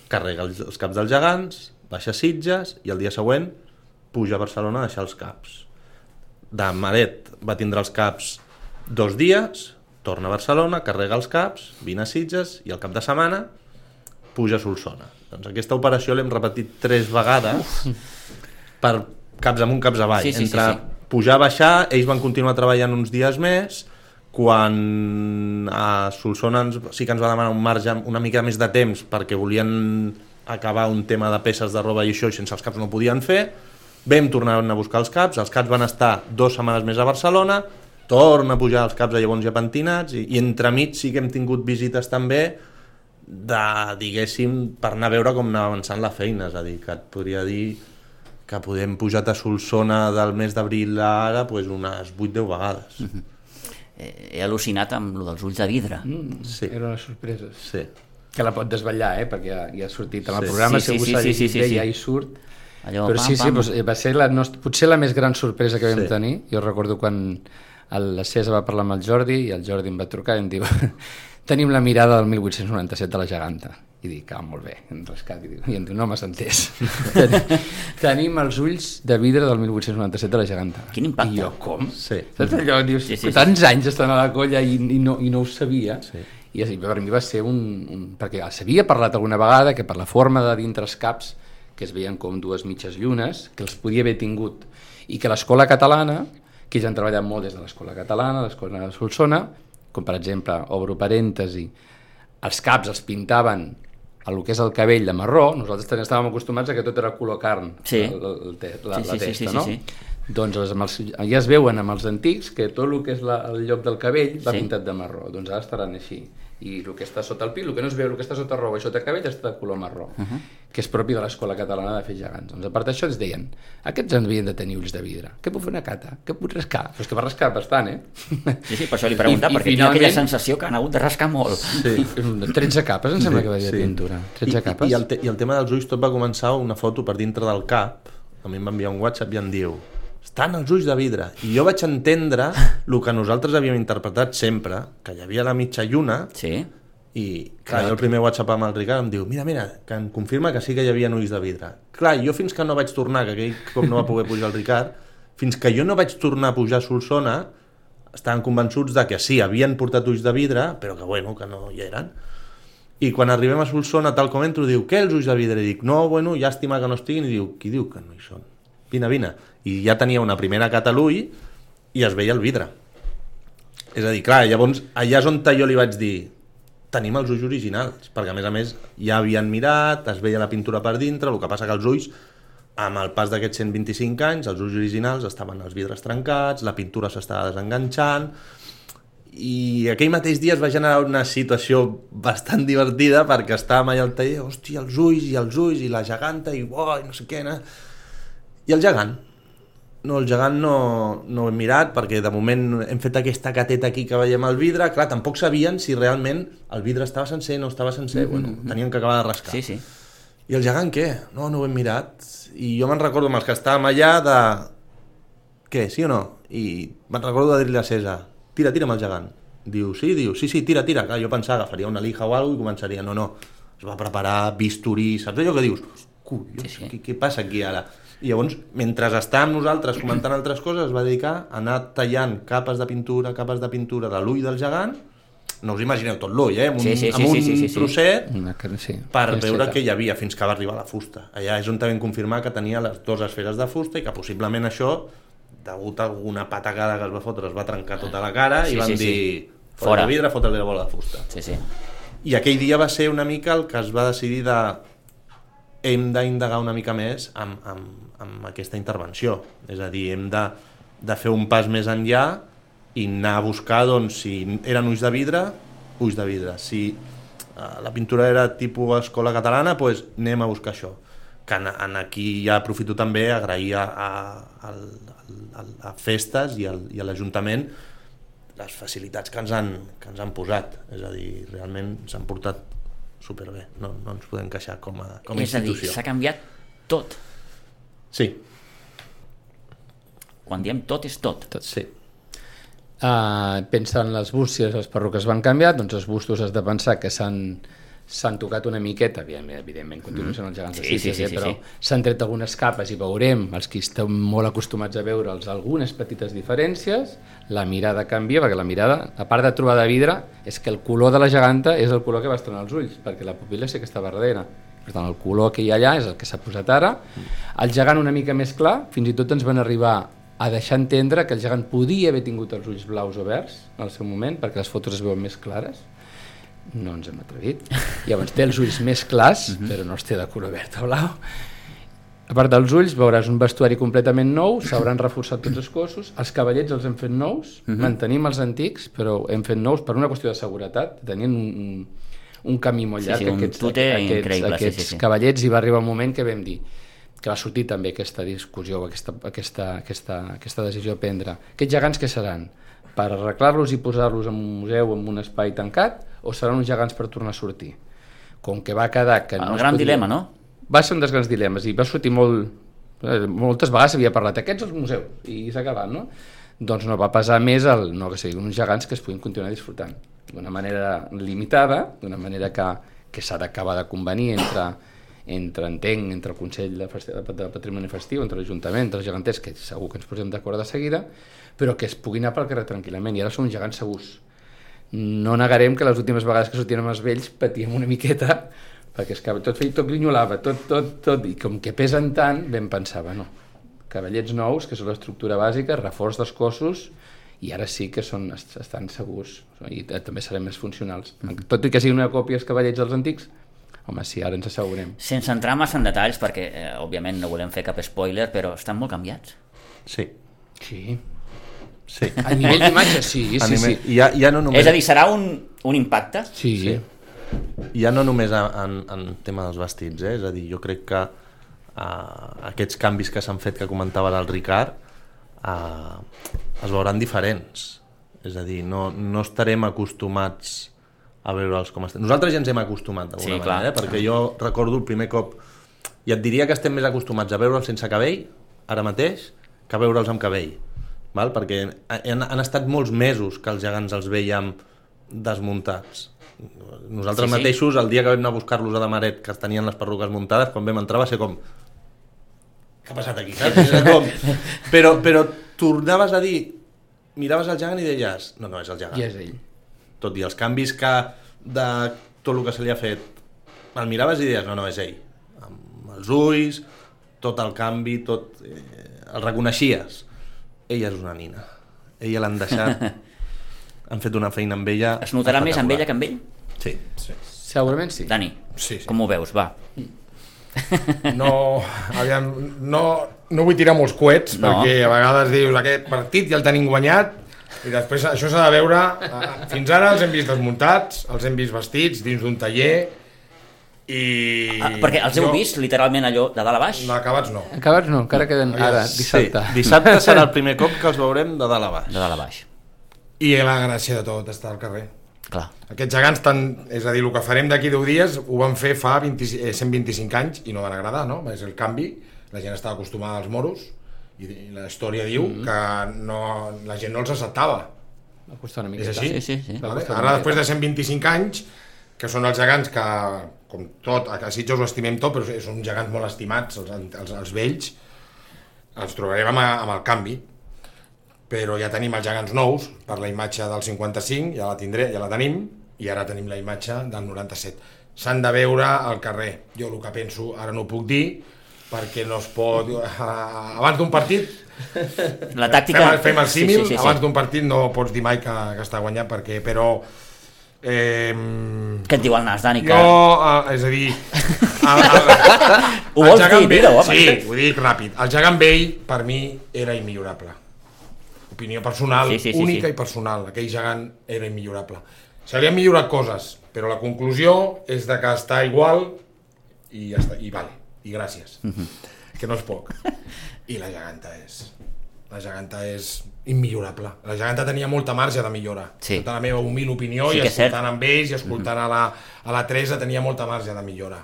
carrega els, els caps dels gegants, baixa a Sitges i el dia següent puja a Barcelona a deixar els caps. De Maret va tindre els caps dos dies, torna a Barcelona, carrega els caps, vine a Sitges i al cap de setmana puja a Solsona. Doncs aquesta operació l'hem repetit tres vegades per caps amunt, caps avall,
sí, sí,
entre
sí, sí.
pujar, baixar, ells van continuar treballant uns dies més, quan a Solsona ens, sí que ens va demanar un marge una mica més de temps perquè volien acabar un tema de peces de roba i això, i sense els caps no ho podien fer, vam tornar a buscar els caps, els caps van estar dues setmanes més a Barcelona, torna a pujar els caps a llavors ja pentinats, i, i entremig sí que hem tingut visites també de, diguéssim, per anar a veure com anava avançant la feina, és a dir, que et podria dir que podem pujar a Solsona del mes d'abril a ara pues, unes vuit deu vegades.
Mm-hmm. He al·lucinat amb lo dels ulls de vidre.
Mm, sí. Era una sorpresa.
Sí.
Que la pot desvetllar, eh? Perquè ja, ja ha sortit en el
sí.
programa,
sí,
segur
sí, sí, sí, sí, sí.
ja hi surt.
Allò,
però
pam,
sí, sí,
pam.
Doncs, va ser la nostra, potser la més gran sorpresa que vam
sí.
tenir. Jo recordo quan el, la César va parlar amb el Jordi i el Jordi em va trucar i em diu tenim la mirada del mil vuit-cents noranta-set de la geganta. I dic, ah, molt bé, en rescat. I, diu, i em diu, no m'has entès. Tenim els ulls de vidre del mil vuit-cents noranta-set de la geganta.
Quin impacte.
I jo, com?
Sí.
Saps allò? Dius,
sí, sí,
tants
sí.
anys estan a la colla i, i, no, i no ho sabia.
Sí.
I així, per mi va ser un, un... Perquè s'havia parlat alguna vegada que per la forma de dintre els caps, que es veien com dues mitges llunes, que els podia haver tingut, i que l'escola catalana, que ells han treballat molt des de l'escola catalana, l'escola de Solsona, com per exemple, obro parèntesi, els caps els pintaven a el que és el cabell de marró, nosaltres també estàvem acostumats a que tot era color carn,
sí.
el, el, el, la,
sí, sí,
la testa,
sí, sí,
no?
sí, sí.
Doncs els, amb els, ja es veuen amb els antics que tot el que és la, el lloc del cabell va
sí.
pintat de marró, doncs ara estaran així. I el que està sota el pil, el que no es veu, el que està sota roba i sota cabell està de color marró, uh -huh. que és propi de l'escola catalana de fer gegants. Doncs a part d'això ens deien, aquests havien de tenir ulls de vidre, què puc fer una cata? Què puc rascar? Però és que va rascar bastant, eh?
Sí, sí, per això li preguntava, perquè
finalment...
tinc aquella sensació que han hagut de rascar molt.
Sí.
tretze capes, em sembla
sí,
que va dir
sí.
de pintura. tretze
I,
capes.
I el, te, I el tema dels ulls tot va començar una foto per dintre del cap, a mi em va enviar un WhatsApp i em diu estan els ulls de vidre, i jo vaig entendre el que nosaltres havíem interpretat sempre, que hi havia la mitja lluna,
sí.
i clar, jo el primer WhatsApp amb el Ricard em diu mira, mira, que em confirma que sí que hi havia ulls de vidre. Clar, jo fins que no vaig tornar, que aquell cop no va poder pujar el Ricard, fins que jo no vaig tornar a pujar a Solsona, estaven convençuts de que sí, havien portat ulls de vidre, però que bueno, que no hi eren. I quan arribem a Solsona, tal com entro, diu, què els ulls de vidre? I dic, no, bueno, llàstima que no estiguin, i diu, qui diu que no hi són? Vine, vine. I ja tenia una primera cata a l'ull i es veia el vidre. És a dir, clar, llavors allà és on jo li vaig dir tenim els ulls originals, perquè a més a més ja havien mirat, es veia la pintura per dintre, el que passa que els ulls, amb el pas d'aquests cent vint-i-cinc anys, els ulls originals estaven els vidres trencats, la pintura s'estava desenganxant, i aquell mateix dia es va generar una situació bastant divertida perquè estàvem allà al taller, hòstia, els ulls i els ulls i la geganta i uoi, no sé què, no? I el gegant? No, el gegant no, no ho hem mirat perquè de moment hem fet aquesta cateta aquí que veiem el vidre, clar, tampoc sabien si realment el vidre estava sencer, no estava sencer, mm-hmm. bueno, tenien que acabar de rascar.
Sí, sí.
I el gegant què? No, no ho hem mirat. I jo me'n recordo amb els que estàvem allà de... Què, sí o no? I me'n recordo de dir-li a César, tira, tira amb el gegant. Diu, sí, diu, sí, sí, tira, tira. Clar, jo pensava, agafaria una lija o alguna cosa i començaria, no, no. Es va preparar bisturí, saps allò que dius? Collons, sí, sí. Què, què passa aquí ara? I llavors, mentre estàvem nosaltres comentant altres coses, es va dedicar a anar tallant capes de pintura, capes de pintura de l'ull del gegant, no us imagineu tot l'ull, eh? Amb un,
sí, sí, sí,
amb un
sí, sí, sí, sí.
trosset,
sí,
per veure què hi havia fins que va arribar la fusta. Allà és on vam confirmar que tenia les dues esferes de fusta i que possiblement això, degut a alguna patacada que es va fotre, es va trencar tota la cara sí, i van sí, dir, sí. Fora de vidre, fotre-li la bola de fusta.
Sí, sí.
I aquell dia va ser una mica el que es va decidir de hem d'indagar una mica més amb, amb, amb aquesta intervenció. És a dir, hem de, de fer un pas més enllà i anar a buscar, doncs, si eren ulls de vidre, ulls de vidre. Si uh, la pintura era tipus escola catalana, doncs anem a buscar això. Que en, en aquí ja aprofito també a agrair a, a, a, a, a Festes i, al, i a l'Ajuntament les facilitats que ens, han, que ens han posat. És a dir, realment s'han portat superbé, no, no ens podem queixar com a, com a
és
institució.
És a dir, s'ha canviat tot.
Sí.
Quan diem tot és tot.
Tot, sí. Uh, pensa en les bústies, les perruques van canviar, doncs els bustos has de pensar que s'han s'han tocat una miqueta, evidentment, evidentment continuen sent els gegants de
sí,
Sitges,
sí, sí,
eh,
sí,
però
sí.
s'han tret algunes capes i veurem, els que estem molt acostumats a veure'ls, algunes petites diferències, la mirada canvia, perquè la mirada, a part de trobar de vidre, és que el color de la geganta és el color que va estrenar els ulls, perquè la pupil·la sí que està verdera. Per tant, el color que hi ha allà és el que s'ha posat ara. El gegant una mica més clar, fins i tot ens van arribar a deixar entendre que el gegant podia haver tingut els ulls blaus o verds al seu moment, perquè les fotos es veuen més clares. No ens hem atrevit. Llavors té els ulls més clars, uh-huh. però no els té de color verd o blau. A part dels ulls veuràs un vestuari completament nou, s'hauran reforçat tots els cossos, els cavallets els hem fet nous, uh-huh. mantenim els antics, però hem fet nous per una qüestió de seguretat, tenien un, un camí molt llarg.
Sí, sí, un
aquests,
tute
aquests,
increïble.
Aquests
sí, sí, sí.
cavallets, i va arribar un moment que vam dir que va sortir també aquesta discussió, aquesta, aquesta, aquesta, aquesta decisió a prendre. Aquests gegants què seran? Per arreglar-los i posar-los en un museu, en un espai tancat, o seran uns gegants per tornar a sortir? Com que va quedar que
El
no
gran
podia...
dilema, no?
Va ser un dels grans dilemes i va sortir molt... Moltes vegades s'havia parlat aquests als museus i s'ha acabat, no? Doncs no, va pesar més el, no, que siguin uns gegants que es puguin continuar disfrutant d'una manera limitada, d'una manera que, que s'ha d'acabar de convenir entre, entre entenc, entre el Consell de, Festi de Patrimoni Festiu, entre l'Ajuntament, entre els geganters, que segur que ens posem d'acord de seguida, però que es puguin anar pel carrer tranquil·lament, i ara són uns gegants segurs. No negarem que les últimes vegades que sortíem els vells patíem una miqueta, perquè es que tot feia, tot grinyolava, tot, tot, tot, i com que pesen tant, vam pensar, bueno, cavallets nous, que són l'estructura bàsica, reforç dels cossos, i ara sí que són, estan segurs, i també serem més funcionals. Tot i que siguin una còpia els cavallets dels antics, home, sí, ara ens assegurem.
Sense entrar massa en detalls, perquè eh, òbviament no volem fer cap spoiler, però estan molt canviats.
Sí.
Sí.
Sí.
A nivell d'imatge, sí, sí,
nivell...
sí.
Ja, ja no només...
És a dir, serà un, un impacte?
Sí. sí.
Ja no només en, en tema dels vestits, eh? És a dir, jo crec que uh, aquests canvis que s'han fet, que comentava el Ricard, uh, es veuran diferents. És a dir, no, no estarem acostumats a veure'ls com estem. Nosaltres ja ens hem acostumat d'alguna
sí,
manera, eh? Perquè jo recordo el primer cop, i et diria que estem més acostumats a veure'ls sense cabell, ara mateix, que a veure'ls amb cabell. Val? Perquè han, han estat molts mesos que els gegants els veiem desmuntats. Nosaltres sí, sí. mateixos, el dia que vam anar a buscar-los a Damaret, que tenien les perruques muntades, quan vam entrar va ser com... Què ha passat aquí? com... però, però tornaves a dir... Miraves el gegant i deies... No, no, és el gegant.
I és ell.
Tot i els canvis que de tot el que se li ha fet, el miraves i deies, no, no, és ell. Amb els ulls, tot el canvi, tot... Eh, el reconeixies. Ella és una nina. Ella l'han deixat... Han fet una feina amb ella...
Es notarà més amb ella que amb ell?
Sí.
Sí.
Segurament sí.
Dani,
sí, sí.
com ho veus? Va.
No, aviam, no, no vull tirar molts coets, no. Perquè a vegades dius aquest partit ja el tenim guanyat i després això s'ha de veure. Fins ara els hem vist desmuntats, els hem vist vestits dins d'un taller i...
Ah, perquè els heu
jo...
vist literalment allò de dalt a baix?
No, acabats no.
Acabats no, encara queden ara, dissabte.
Sí, dissabte serà el primer cop que els veurem de dalt a baix.
De dalt a baix.
I la gràcia de tot està al carrer.
Clar.
Aquests gegants, tant, és a dir, el que farem d'aquí deu dies ho van fer fa vint, eh, cent vint-i-cinc anys i no van agradar, no? És el canvi, la gent estava acostumada als moros i la història diu mm-hmm. que no, la gent no els acceptava.
Va costar una mica.
És així?
Sí, sí, sí.
Vale? Ara, després de cent vint-i-cinc anys, que són els gegants que, com tot, a Sitges ho estimem tot, però són gegants molt estimats, els, els, els vells, els trobarem amb, amb el canvi. Però ja tenim els gegants nous per la imatge del cinquanta-cinc, ja la tindré, ja la tenim, i ara tenim la imatge del noranta-set. S'han de veure al carrer. Jo el que penso, ara no ho puc dir, perquè no es pot... Abans d'un partit...
La tàctica...
Fem, fem el símil,
sí, sí, sí, sí.
Abans d'un partit no pots dir mai que, que està guanyat, perquè, però... Eh,
Què et diu el nas, Dani?
Jo, eh, és a dir... El, el,
Ho vols dir? Digue'ho, home.
Sí, ho dic ràpid. El gegant vell, per mi, era immillorable. Opinió personal,
sí, sí, sí,
única
sí.
i personal. Aquell gegant era immillorable. Se li han millorat coses, però la conclusió és de que està igual i ja està, i vale, i gràcies. Mm-hmm. Que no és poc. I la geganta és... La geganta és immillorable. La geganta tenia molta marge de millora.
Sí.
Tota la meva humil opinió,
sí
i escoltant
cert.
amb ells i escoltant mm-hmm. a, la, a la Teresa tenia molta marge de millora.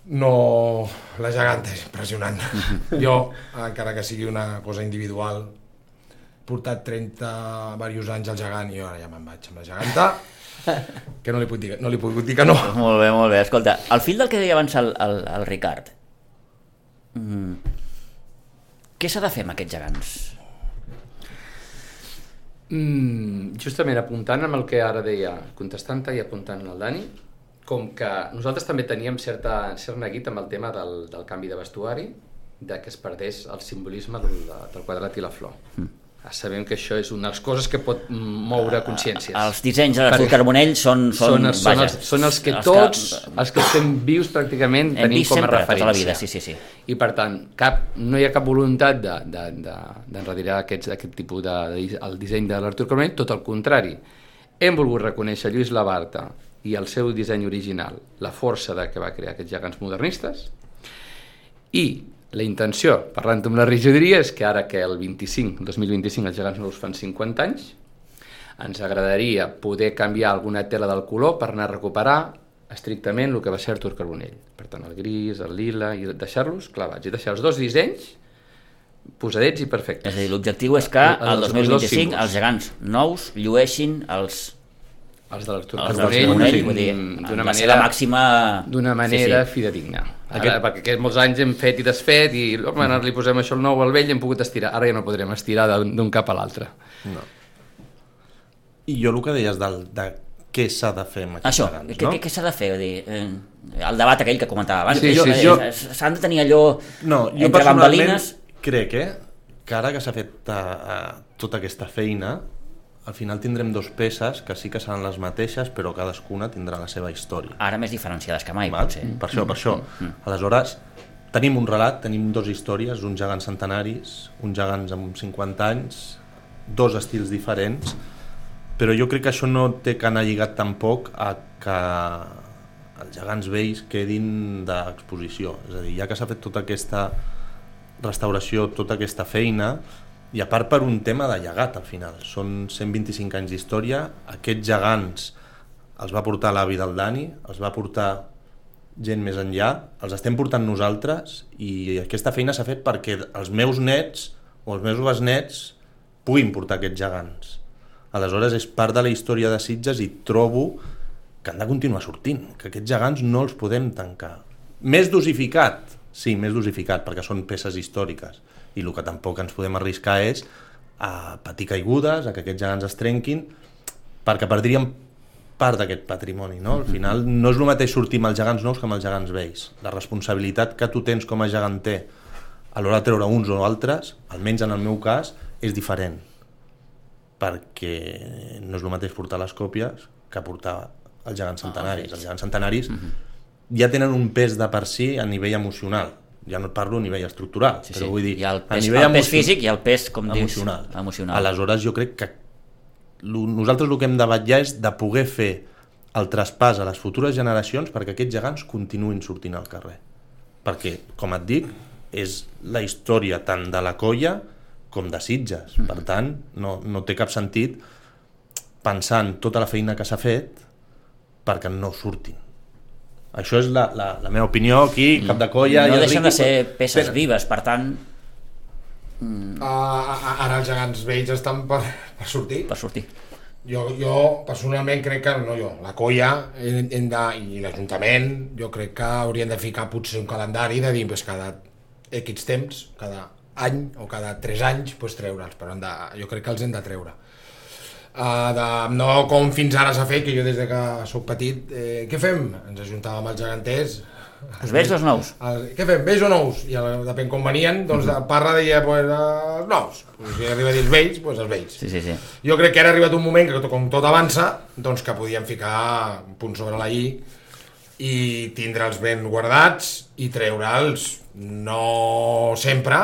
No, la geganta és impressionant. Jo, encara que sigui una cosa individual, he portat trenta diversos anys al gegant i ara ja me'n vaig amb la geganta, que no li puc dir, no li puc dir que no.
Molt bé, molt bé. Escolta, al fil del que deia abans el, el, el Ricard, mm, què s'ha de fer amb aquests gegants?
Mm, justament apuntant amb el que ara deia, contestant i apuntant al Dani, com que nosaltres també teníem certa, cert neguit amb el tema del, del canvi de vestuari, de que es perdés el simbolisme del, del quadrat i la flor. Mm. Sabem que això és una de les coses que pot moure consciències.
Els dissenys de l'Artur Carbonell són, són,
són, són,
vaja,
els, són els que
els
tots,
que,
els que estem vius pràcticament tenim com a
sempre,
referència.
tota la vida, sí, sí, sí.
I per tant, cap, no hi ha cap voluntat de, de, de, d'enredirar aquest, aquest tipus de, de, el disseny de l'Artur Carbonell, tot el contrari. Hem volgut reconèixer Lluís Labarta i el seu disseny original, la força de que va crear aquests gegants modernistes, i la intenció, parlant amb la regidoria, és que ara que el vint-i-cinc, el dos mil vint-i-cinc, els gegants nous fan cinquanta anys, ens agradaria poder canviar alguna tela del color per anar a recuperar estrictament el que va ser Artur Carbonell. Per tant, el gris, el lila, i deixar-los clavats, i deixar els dos dissenys posadets i perfectes.
És a dir, l'objectiu és que el, el dos mil vint-i-cinc els gegants nous llueixin els...
els de l'Artur
Carbonell, d'una manera màxima...
D'una manera sí, sí. fidedigna. Ara, Aquest... perquè aquests molts anys hem fet i desfet i home, ara li posem això al nou al vell i hem pogut estirar. Ara ja no podrem estirar d'un cap a l'altre.
No. I jo el que deies del, de què s'ha de fer amb aquests
això,
gegants,
què,
no?
Què s'ha de fer? Dir, eh, el debat aquell que comentava abans,
sí, sí, jo...
s'han de tenir allò
no, jo
entre bambalines...
crec eh, que ara que s'ha fet uh, uh, tota aquesta feina, al final tindrem dos peces que sí que seran les mateixes, però cadascuna tindrà la seva història.
Ara més diferenciades que mai,
Val?
potser.
Per això, per això. Mm. Aleshores, tenim un relat, tenim dos històries, uns gegants centenaris, uns gegants amb cinquanta anys, dos estils diferents, però jo crec que això no té que anar lligat tampoc a que els gegants vells quedin d'exposició. És a dir, ja que s'ha fet tota aquesta restauració, tota aquesta feina, i a part per un tema de llegat al final, són cent vint-i-cinc anys d'història, aquests gegants els va portar l'avi del Dani, els va portar gent més enllà, els estem portant nosaltres i aquesta feina s'ha fet perquè els meus nets o els meus besnets puguin portar aquests gegants. Aleshores és part de la història de Sitges i trobo que han de continuar sortint, que aquests gegants no els podem tancar. Més dosificat, sí, més dosificat, perquè són peces històriques. I el que tampoc ens podem arriscar és a patir caigudes, a que aquests gegants es trenquin, perquè perdríem part d'aquest patrimoni, no? Al final no és el mateix sortir amb els gegants nous que amb els gegants vells. La responsabilitat que tu tens com a geganter a l'hora de treure uns o altres, almenys en el meu cas, és diferent. Perquè no és el mateix portar les còpies que portar els gegants centenaris. Els gegants centenaris ja tenen un pes de per si a nivell emocional. Ja no et parlo a nivell estructural, sí, però vull dir,
hi ha el pes,
a nivell
el pes físic i el pes, com
emocional.
dius, emocional.
Aleshores jo crec que lo, nosaltres el que hem de vetllar és de poder fer el traspàs a les futures generacions perquè aquests gegants continuïn sortint al carrer. Perquè, com et dic, és la història tant de la colla com de Sitges. Mm. Per tant, no, no té cap sentit pensar en tota la feina que s'ha fet perquè no surtin. Això és la, la, la meva opinió aquí, cap de colla...
No
i
deixen
Riqui,
de ser peces
tenen.
vives, per tant...
Mm. Uh, ara els gegants vells estan per, per sortir.
Per sortir.
Jo, jo personalment crec que, no jo, la colla hem, hem de, i l'Ajuntament, jo crec que haurien de ficar potser un calendari de dir pues, cada X temps, cada any o cada tres anys pues, treure'ls, però de, jo crec que els hem de treure. Uh, de, no com fins ara s'ha fet, que jo des de que soc petit, eh, què fem? Ens ajuntàvem els geganters.
Els vells o els nous?
El, què fem, vells o nous? I depèn com venien, doncs de Parra deia pues, els nous. Pues, si arriba a dir els vells, doncs els vells.
Sí, sí, sí.
Jo crec que ara ha arribat un moment que com tot avança, doncs que podíem ficar un punt sobre la i i tindre'ls ben guardats i treure'ls, no sempre,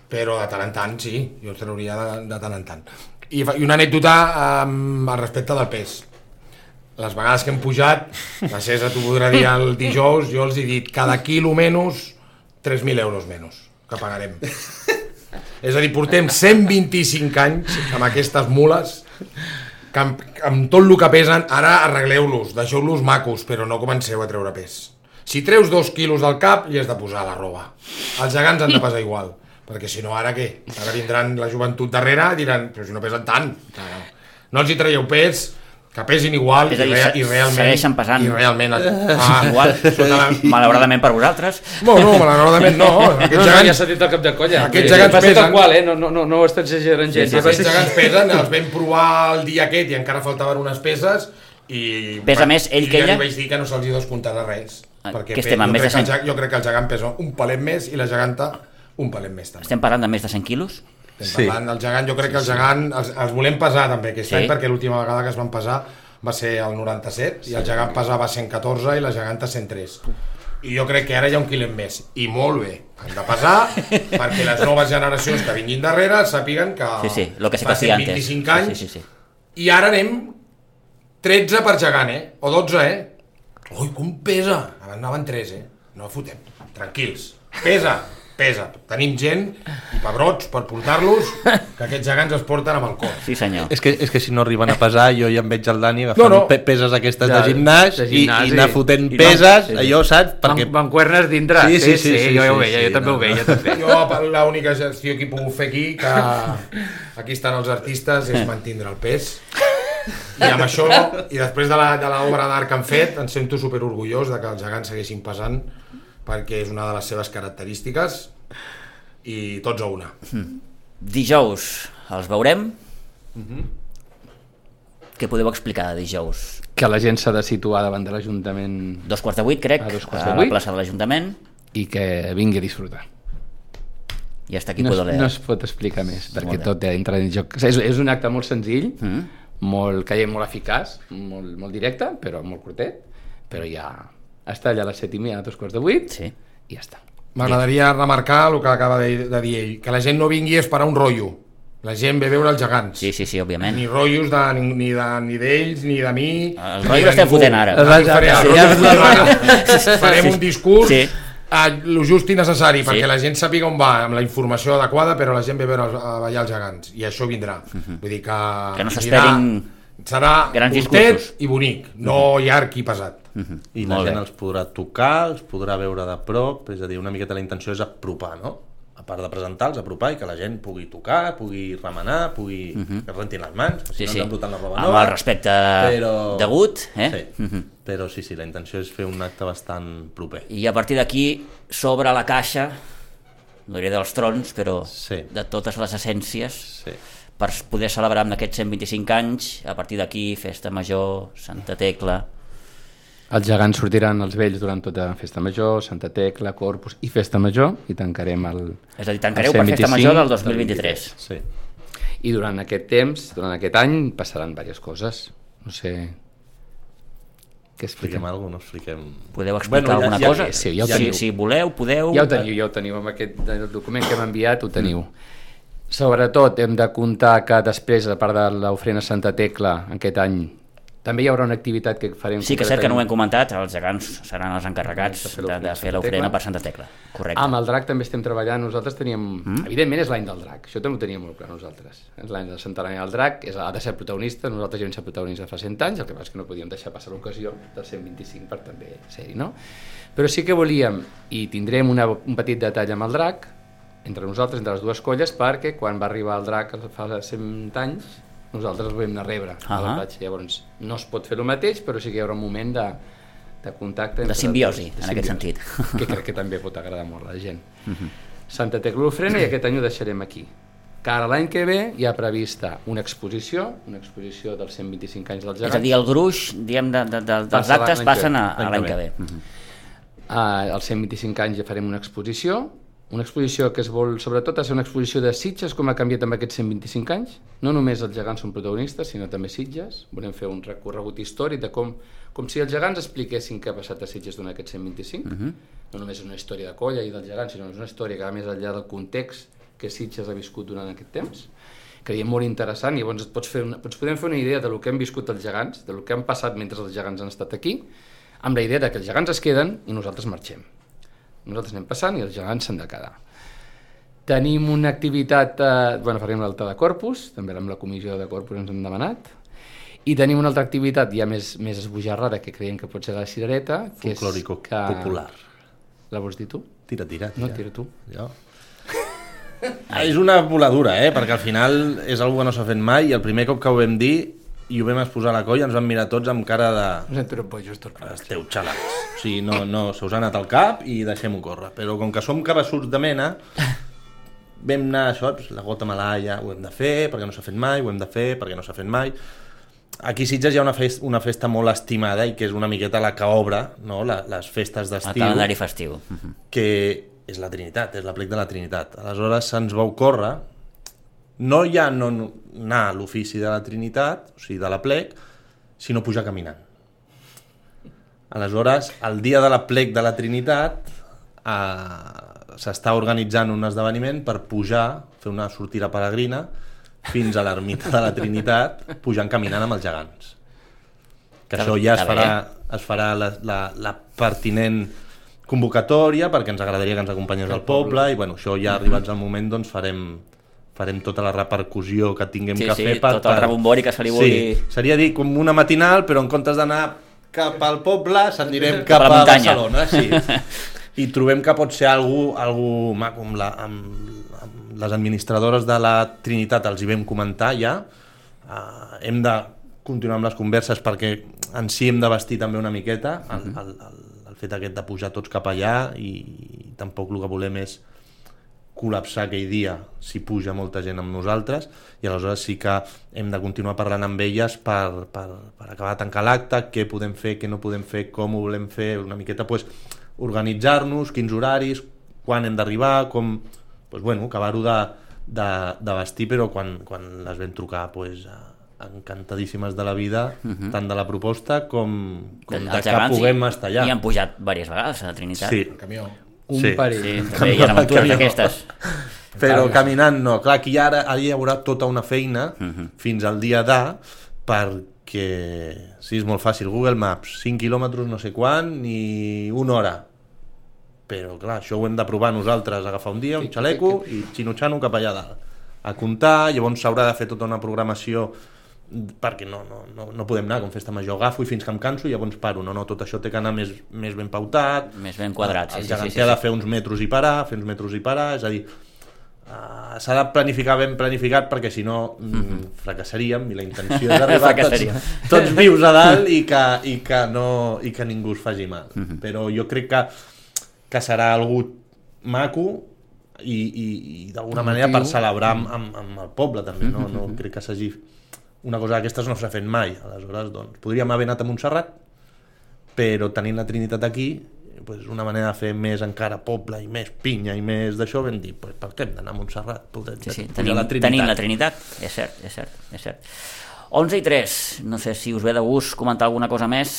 però de tant en tant, sí, jo els trauria de, de tant en tant. I, i una anècdota um, al respecte del pes. Les vegades que hem pujat, la César t'ho podrà dir el dijous, jo els he dit cada quilo menys, tres mil euros menys, que pagarem. És a dir, portem cent vint-i-cinc anys amb aquestes mules, que amb, amb tot el que pesen, ara arregleu-los, deixeu-los macos, però no comenceu a treure pes. Si treus dos quilos del cap, li has de posar la roba. Els gegants han de pesar igual. Perquè si no, ara què? Ara vindran la joventut darrere i diran, però si no pesen tant. No, no els hi traieu pes, que pesin igual
és a dir,
i, rea, i realment...
segueixen pesant
i realment, ah,
igual, la... malauradament per vosaltres.
No, no, malauradament no. Aquests
no,
gegants,
no, ja s'ha dit el cap de colla.
Aquests gegants pesen...
Tal qual, eh? no, no, no, no ho estàs exagerant gens.
Sí, sí, aquests gegants pesen, els vam provar el dia aquest i encara faltaven unes peces i...
Pesa més ell que ella?
I ja li vaig dir que no se'ls hi descomptarà res.
Ah,
perquè
que estem
jo,
més
crec
de cent...
el, jo crec que el gegant pesa un palet més i la geganta un palet més també.
Estem parlant de més de cent quilos?
Estem
Sí.
parlant del gegant, jo crec que el gegant els, els volem pesar també aquest
Sí.
any, perquè l'última vegada que es van pesar va ser el noranta-set i el gegant pesava cent catorze i la geganta cent tres. I jo crec que ara hi ha un quilet més, i molt bé, han de pesar perquè les noves generacions que vinguin darrere sàpiguen que,
Sí, sí, lo que se
fa
hacía
cent
antes.
vint-i-cinc anys,
Sí, sí, sí.
i ara anem tretze per gegant, eh? O dotze, eh? Ui, com pesa! Abans anaven tres, eh? No fotem, tranquils. Pesa, pesa. Tenim gent i pebrots per portar-los, que aquests gegants es porten amb el cor.
Sí, senyor.
És que, és que si no arriben a pesar, jo ja em veig el Dani agafant
No, no.
pe- peses aquestes
Ja,
de gimnàs,
de
i,
gimnàs,
i anar
i-
fotent
i no-
peses,
sí, sí.
allò, saps? Perquè...
Van, mancuernes dintre.
Sí, sí, sí, sí,
jo ja ho
sí,
veia,
sí,
jo també
no,
ho veia,
no.
també.
Jo, l'única gestió que he pogut fer aquí, que aquí estan els artistes, és mantindre el pes. I amb això, i després de la, de l'obra d'art que han fet, em sento superorgullós de que els gegants segueixin pesant, perquè és una de les seves característiques, i tots a una.
Dijous els veurem. Què podeu explicar de dijous?
Que la gent s'ha de situar davant de l'Ajuntament
Dos quarts de vuit, crec,
A dos quarts
a
de
la
vuit.
plaça de l'Ajuntament.
i que vingui a disfrutar.
I hasta aquí
No,
puedo
es,
leer.
no es pot explicar més, perquè
Molt bé.
tot entra en joc. És, és un acte molt senzill,
Mm.
molt, que molt eficaç, molt, molt directe, però molt curtet, però ja està allà a les set i mitja, a dos quarts de vuit,
Sí.
i ja està.
M'agradaria remarcar el que acaba de, de dir ell, que la gent no vingui a esperar un rotllo. La gent ve a veure els gegants.
Sí, sí, sí, òbviament.
Ni rotllos de, ni, ni de, ni d'ells, ni de mi.
El
ni
rotllo
de
l'estem
ningú.
fotent ara.
No,
Ja,
faré,
ja,
el
ja,
rotllo
ja,
l'estem fotent. Farem
Sí.
un discurs
Sí.
a lo just i necessari,
Sí.
perquè la gent sàpiga on va, amb la informació adequada, però la gent ve a veure els- a ballar els gegants, i això vindrà. Vull dir que...
Que no
vindrà-
s'esperin
serà
grans
curtet
discursos.
i bonic, no llarg i pesat.
I la
Molt
gent
bé.
els podrà tocar, els podrà veure de prop, és a dir, una miqueta la intenció és apropar, no? A part de presentar-los, apropar i que la gent pugui tocar, pugui remenar, pugui... que es rentin les mans, que si
Sí,
no
sí.
ens embruten la roba
Amb
nova.
el respecte
però...
degut, eh?
Sí,
Mhm.
però sí, sí, la intenció és fer un acte bastant proper.
I a partir d'aquí s'obre la caixa, no diré dels trons, però
Sí.
de totes les essències,
Sí.
per poder celebrar amb aquests cent vint-i-cinc anys, a partir d'aquí, Festa Major, Santa Tecla...
Els gegants sortiran els vells durant tota Festa Major, Santa Tecla, Corpus i Festa Major, i tancarem el...
És a dir, tancareu
el
per Festa
cent
Major del
vint-i-cinc
dos mil vint-i-tres.
Sí.
I durant aquest temps, durant aquest any, passaran diverses coses. No sé... Què
Expliquem
expliquem?
alguna cosa, no expliquem...
Podeu explicar
Bueno, ja-
alguna
ja-
cosa?
sí, ja ho
si,
teniu.
si voleu, podeu...
Ja ho teniu, ja ho teniu, amb aquest el document que hem enviat ho teniu. Sobretot hem de comptar que després, a part de l'ofrena Santa Tecla, aquest any, també hi haurà una activitat que farem...
Sí que és cert que no ho hem
concretament
comentat, els gegants seran els encarregats
De fer
de, de
l'ofrena
fer
Santa
l'ofrena
Tecla.
per Santa Tecla. Correcte.
Amb el drac també estem treballant, nosaltres teníem... Mm? Evidentment és l'any del drac, això també ho teníem molt clar nosaltres. És l'any del centenari del drac, és, ha de ser protagonista, nosaltres ja vam ser protagonistes fa cent anys, el que passa és que no podíem deixar passar l'ocasió del cent vint-i-cinc per també ser-hi, no? Però sí que volíem, i tindrem una, un petit detall amb el drac, entre nosaltres, entre les dues colles, perquè quan va arribar el drac fa cent anys, nosaltres el vam anar a rebre a la
Ahà.
platja. Llavors, no es pot fer el mateix, però sí que hi haurà un moment de, de contacte...
De
entre
simbiosi,
les dues,
en aquest
simbiosi,
sentit.
que crec que també pot agradar molt a la gent. Santa Tecla l'ofrena, i aquest any ho deixarem aquí. Que ara l'any que ve hi ha prevista una exposició, una exposició dels cent vint-i-cinc anys dels
És a
gegants.
dir, el gruix diguem, de, de, de, dels
Passa
actes
l'any que
passen
ve.
a, a l'any que ve. Mhm.
Uh, als cent vint-i-cinc anys ja farem una exposició, una exposició que es vol, sobretot, ser una exposició de Sitges, com ha canviat amb aquests cent vint-i-cinc anys. No només els gegants són protagonistes, sinó també Sitges. Volem fer un recorregut històric de com, com si els gegants expliquessin què ha passat a Sitges durant aquests cent vint-i-cinc. Uh -huh. No només és una història de colla i dels gegants, sinó és una història que va més enllà del context que Sitges ha viscut durant aquest temps. Creiem molt interessant, i llavors et pots fer una, ens podem fer una idea de lo que hem viscut els gegants, de lo que han passat mentre els gegants han estat aquí, amb la idea de que els gegants es queden i nosaltres marxem. Nosaltres anem passant i els gegants s'han de quedar. Tenim una activitat, eh, bueno, farem l'altar de Corpus, també amb la comissió de Corpus ens hem demanat, i tenim una altra activitat ja més, més esbojarrada, que creiem que pot ser la cirereta, que és
Folclòrico
que...
popular.
La vols dir tu?
Tira, tira, tira.
No, tira tu.
Jo. Ah, és una voladura, eh? Perquè al final és algo que no s'ha fet mai, i el primer cop que ho vam dir i ho vam exposar a la colla ens van mirar tots amb cara de...
No sé, bojos, tots.
Esteu xalats. O sigui, no, no, se us ha anat al cap i deixem-ho córrer. Però com que som cabassuts de mena, vam anar a això, la gota malaia, ho hem de fer perquè no s'ha fet mai, ho hem de fer perquè no s'ha fet mai. Aquí a Sitges hi ha una festa, una festa molt estimada i que és una miqueta la que obre, no? La, les festes
El
d'estiu,
calendari festiu. Mhm.
que és la Trinitat, és l'aplec de la Trinitat. Aleshores se'ns va ocórrer no ja no anar a l'ofici de la Trinitat, o sigui, de l'aplec, sinó pujar caminant. Aleshores, el dia de l'aplec de la Trinitat eh, s'està organitzant un esdeveniment per pujar, fer una sortida peregrina fins a l'ermita de la Trinitat, pujant caminant amb els gegants. Que això ja es farà, es farà la, la, la pertinent convocatòria, perquè ens agradaria que ens acompanyés al poble, i bueno, això ja arribats al moment doncs farem, farem tota la repercussió que tinguem
sí,
que
sí,
fer. Per,
tot el rebombori que se li vulgui...
Sí, seria dir com una matinal, però en comptes d'anar cap al poble, s'anirem cap,
cap a,
a
Barcelona.
Sí. I trobem que pot ser algú, algú maco, amb, la, amb, amb les administradores de la Trinitat els hi vam comentar ja. Uh, hem de continuar amb les converses perquè en si hem de vestir també una miqueta el, el, el, el fet aquest de pujar tots cap allà i, i tampoc el que volem és col·lapsar aquell dia si puja molta gent amb nosaltres, i aleshores sí que hem de continuar parlant amb elles per, per, per acabar de tancar l'acte, què podem fer, què no podem fer, com ho volem fer, una miqueta pues, organitzar-nos, quins horaris, quan hem d'arribar, com pues, bueno, acabar-ho de, de, de vestir, però quan, quan les vam trucar pues, encantadíssimes de la vida, uh-huh. tant de la proposta com, com de, de que puguem i, estar allà.
I han pujat diverses vegades a la Trinitat.
Sí.
El camió.
Un
sí.
parell.
Sí, també hi ha aventures d'aquestes.
Però caminant no. Clar, aquí ara, ara hi haurà tota una feina uh-huh. fins al dia d'A perquè, sí, és molt fàcil, Google Maps, cinc quilòmetres no sé quan i una hora. Però clar, això ho hem de provar nosaltres, agafar un dia, un xaleco i xinutxano cap allà dalt. A comptar, llavors s'haurà de fer tota una programació perquè no, no, no, no podem anar com festa major, agafo i fins que em canso i llavors paro, no, no, tot això té que anar més, més ben pautat,
més ben quadrat,
el
sí,
geganter
sí, sí, sí.
ha de fer uns metres i parar, fer uns metres i parar, és a dir, uh, s'ha de planificar ben planificat perquè si no mm, fracassaríem i la intenció és arribar tots, tots vius a dalt i que, i que, no, i que ningú es faci mal, uh-huh. però jo crec que, que serà algú maco i, i, i d'alguna manera per celebrar amb, amb, amb el poble també, no, no crec que s'hagi una cosa d'aquestes no s'ha fet mai, aleshores doncs, podríem haver anat a Montserrat, però tenint la Trinitat aquí, pues, una manera de fer més encara poble i més pinya i més d'això, vam dir, pues, per què hem d'anar a Montserrat? Podem,
sí, sí, tenim, la tenim la Trinitat, és cert, és cert, és cert. onze i tres, no sé si us ve de gust comentar alguna cosa més.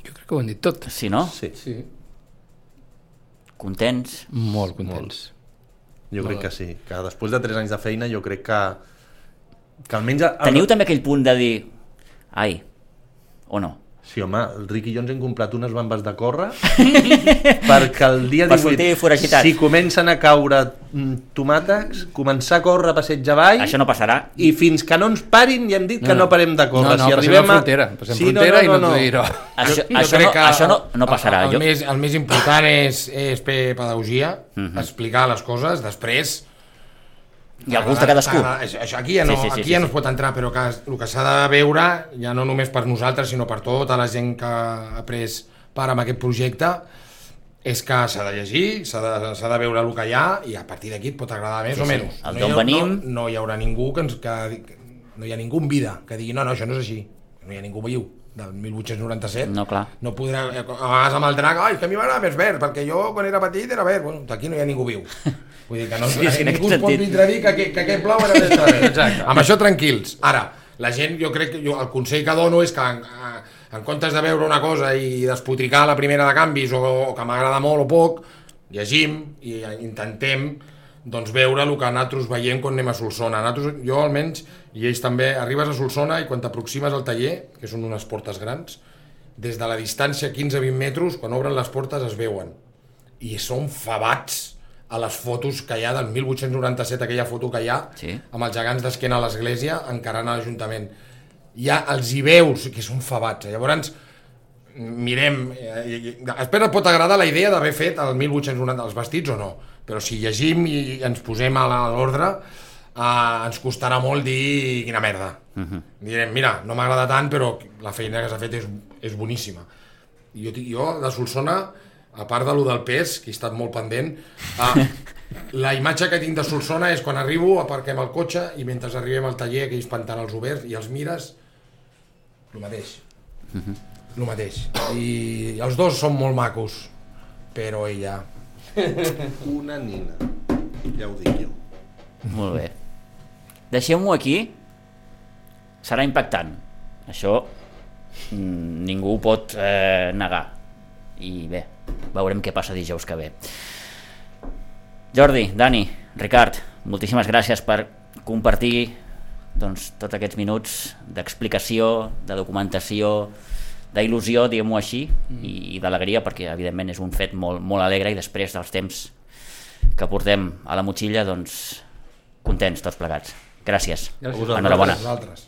Jo crec que ho han dit tot.
Sí, no?
Sí.
sí.
Contents?
Molt contents.
Molt. Jo crec que sí, que després de tres anys de feina jo crec que que almenys... El...
Teniu també aquell punt de dir ai, o no?
Sí, home, el Ric i jo ens hem comprat unes bambes de córrer perquè el dia divuit, si comencen a caure tomàtegs, començar a córrer a passeig avall,
això no passarà,
i fins que no ens parin ja hem dit que no, no parem de córrer.
No, no,
si
passem
arribem
a frontera, passem
sí,
frontera
no, no, no,
i no, no.
no.
no.
Això,
jo,
això,
jo
no,
que
això no, no passarà.
El, el,
jo...
més, el més important és, és pedagogia, uh-huh. explicar les coses, després...
I el gust de cadascú.
Això, aquí ja, no,
sí, sí, sí,
aquí ja
sí,
no es pot entrar, però que, el que s'ha de veure, ja no només per nosaltres, sinó per tota la gent que ha pres part en aquest projecte, és que s'ha de llegir, s'ha de, s'ha de veure el que hi ha, i a partir d'aquí et pot agradar més sí, o menys.
Sí.
No,
hi ha, venim...
no, no hi haurà ningú que, ens, que no hi ha ningú en vida que digui no, no, això no és així, no hi ha ningú viu del mil vuit-cents noranta-set,
no, clar.
No podrà, a vegades amb el drac, ai, que a mi m'agrada més verd, perquè jo quan era petit era verd, bueno, aquí no hi ha ningú viu. Vull dir que no, sí, sí, ningú es pot vindre a dir que, que, que aquest blau era més verd. Exacte. Amb això tranquils. Ara, la gent, jo crec que jo, el consell que dono és que en, en comptes de veure una cosa i despotricar la primera de canvis o, o que m'agrada molt o poc, llegim i intentem doncs veure el que nosaltres veiem quan anem a Solsona. Nosaltres, jo almenys, i ells també, arribes a Solsona i quan t'aproximes al taller, que són unes portes grans, des de la distància quinze a vint metres, quan obren les portes es veuen. I són fabats a les fotos que hi ha del mil vuit-cents noranta-set, aquella foto que hi ha, sí. amb els gegants d'esquena a l'església encarant a l'Ajuntament. Ja els hi veus, que són fabats. Llavors, mirem... Eh, espera, pot agradar la idea d'haver fet el mil vuit-cents noranta els vestits o no, però si llegim i ens posem a l'ordre, eh, ens costarà molt dir quina merda. Uh-huh. Direm, mira, no m'agrada tant, però la feina que s'ha fet és, és boníssima. Jo, jo, de Solsona, a part de lo del pes, que he estat molt pendent, eh, la imatge que tinc de Solsona és quan arribo, aparquem el cotxe i mentre arribem al taller, aquells pantanals oberts, i els mires, el mateix. Uh-huh. El mateix. I els dos són molt macos, però ella
Una nina, ja ho dic jo.
Molt bé. Deixem-ho aquí. Serà impactant. Això mm, ningú ho pot eh, negar. I bé, veurem què passa dijous que ve. Jordi, Dani, Ricard, moltíssimes gràcies per compartir doncs, tots aquests minuts d'explicació, de documentació, d'il·lusió, diguem-ho així, i, i d'alegria, perquè evidentment és un fet molt, molt alegre i després dels temps que portem a la motxilla, doncs contents tots plegats. Gràcies.
Gràcies.
Enhorabona.
Vosaltres.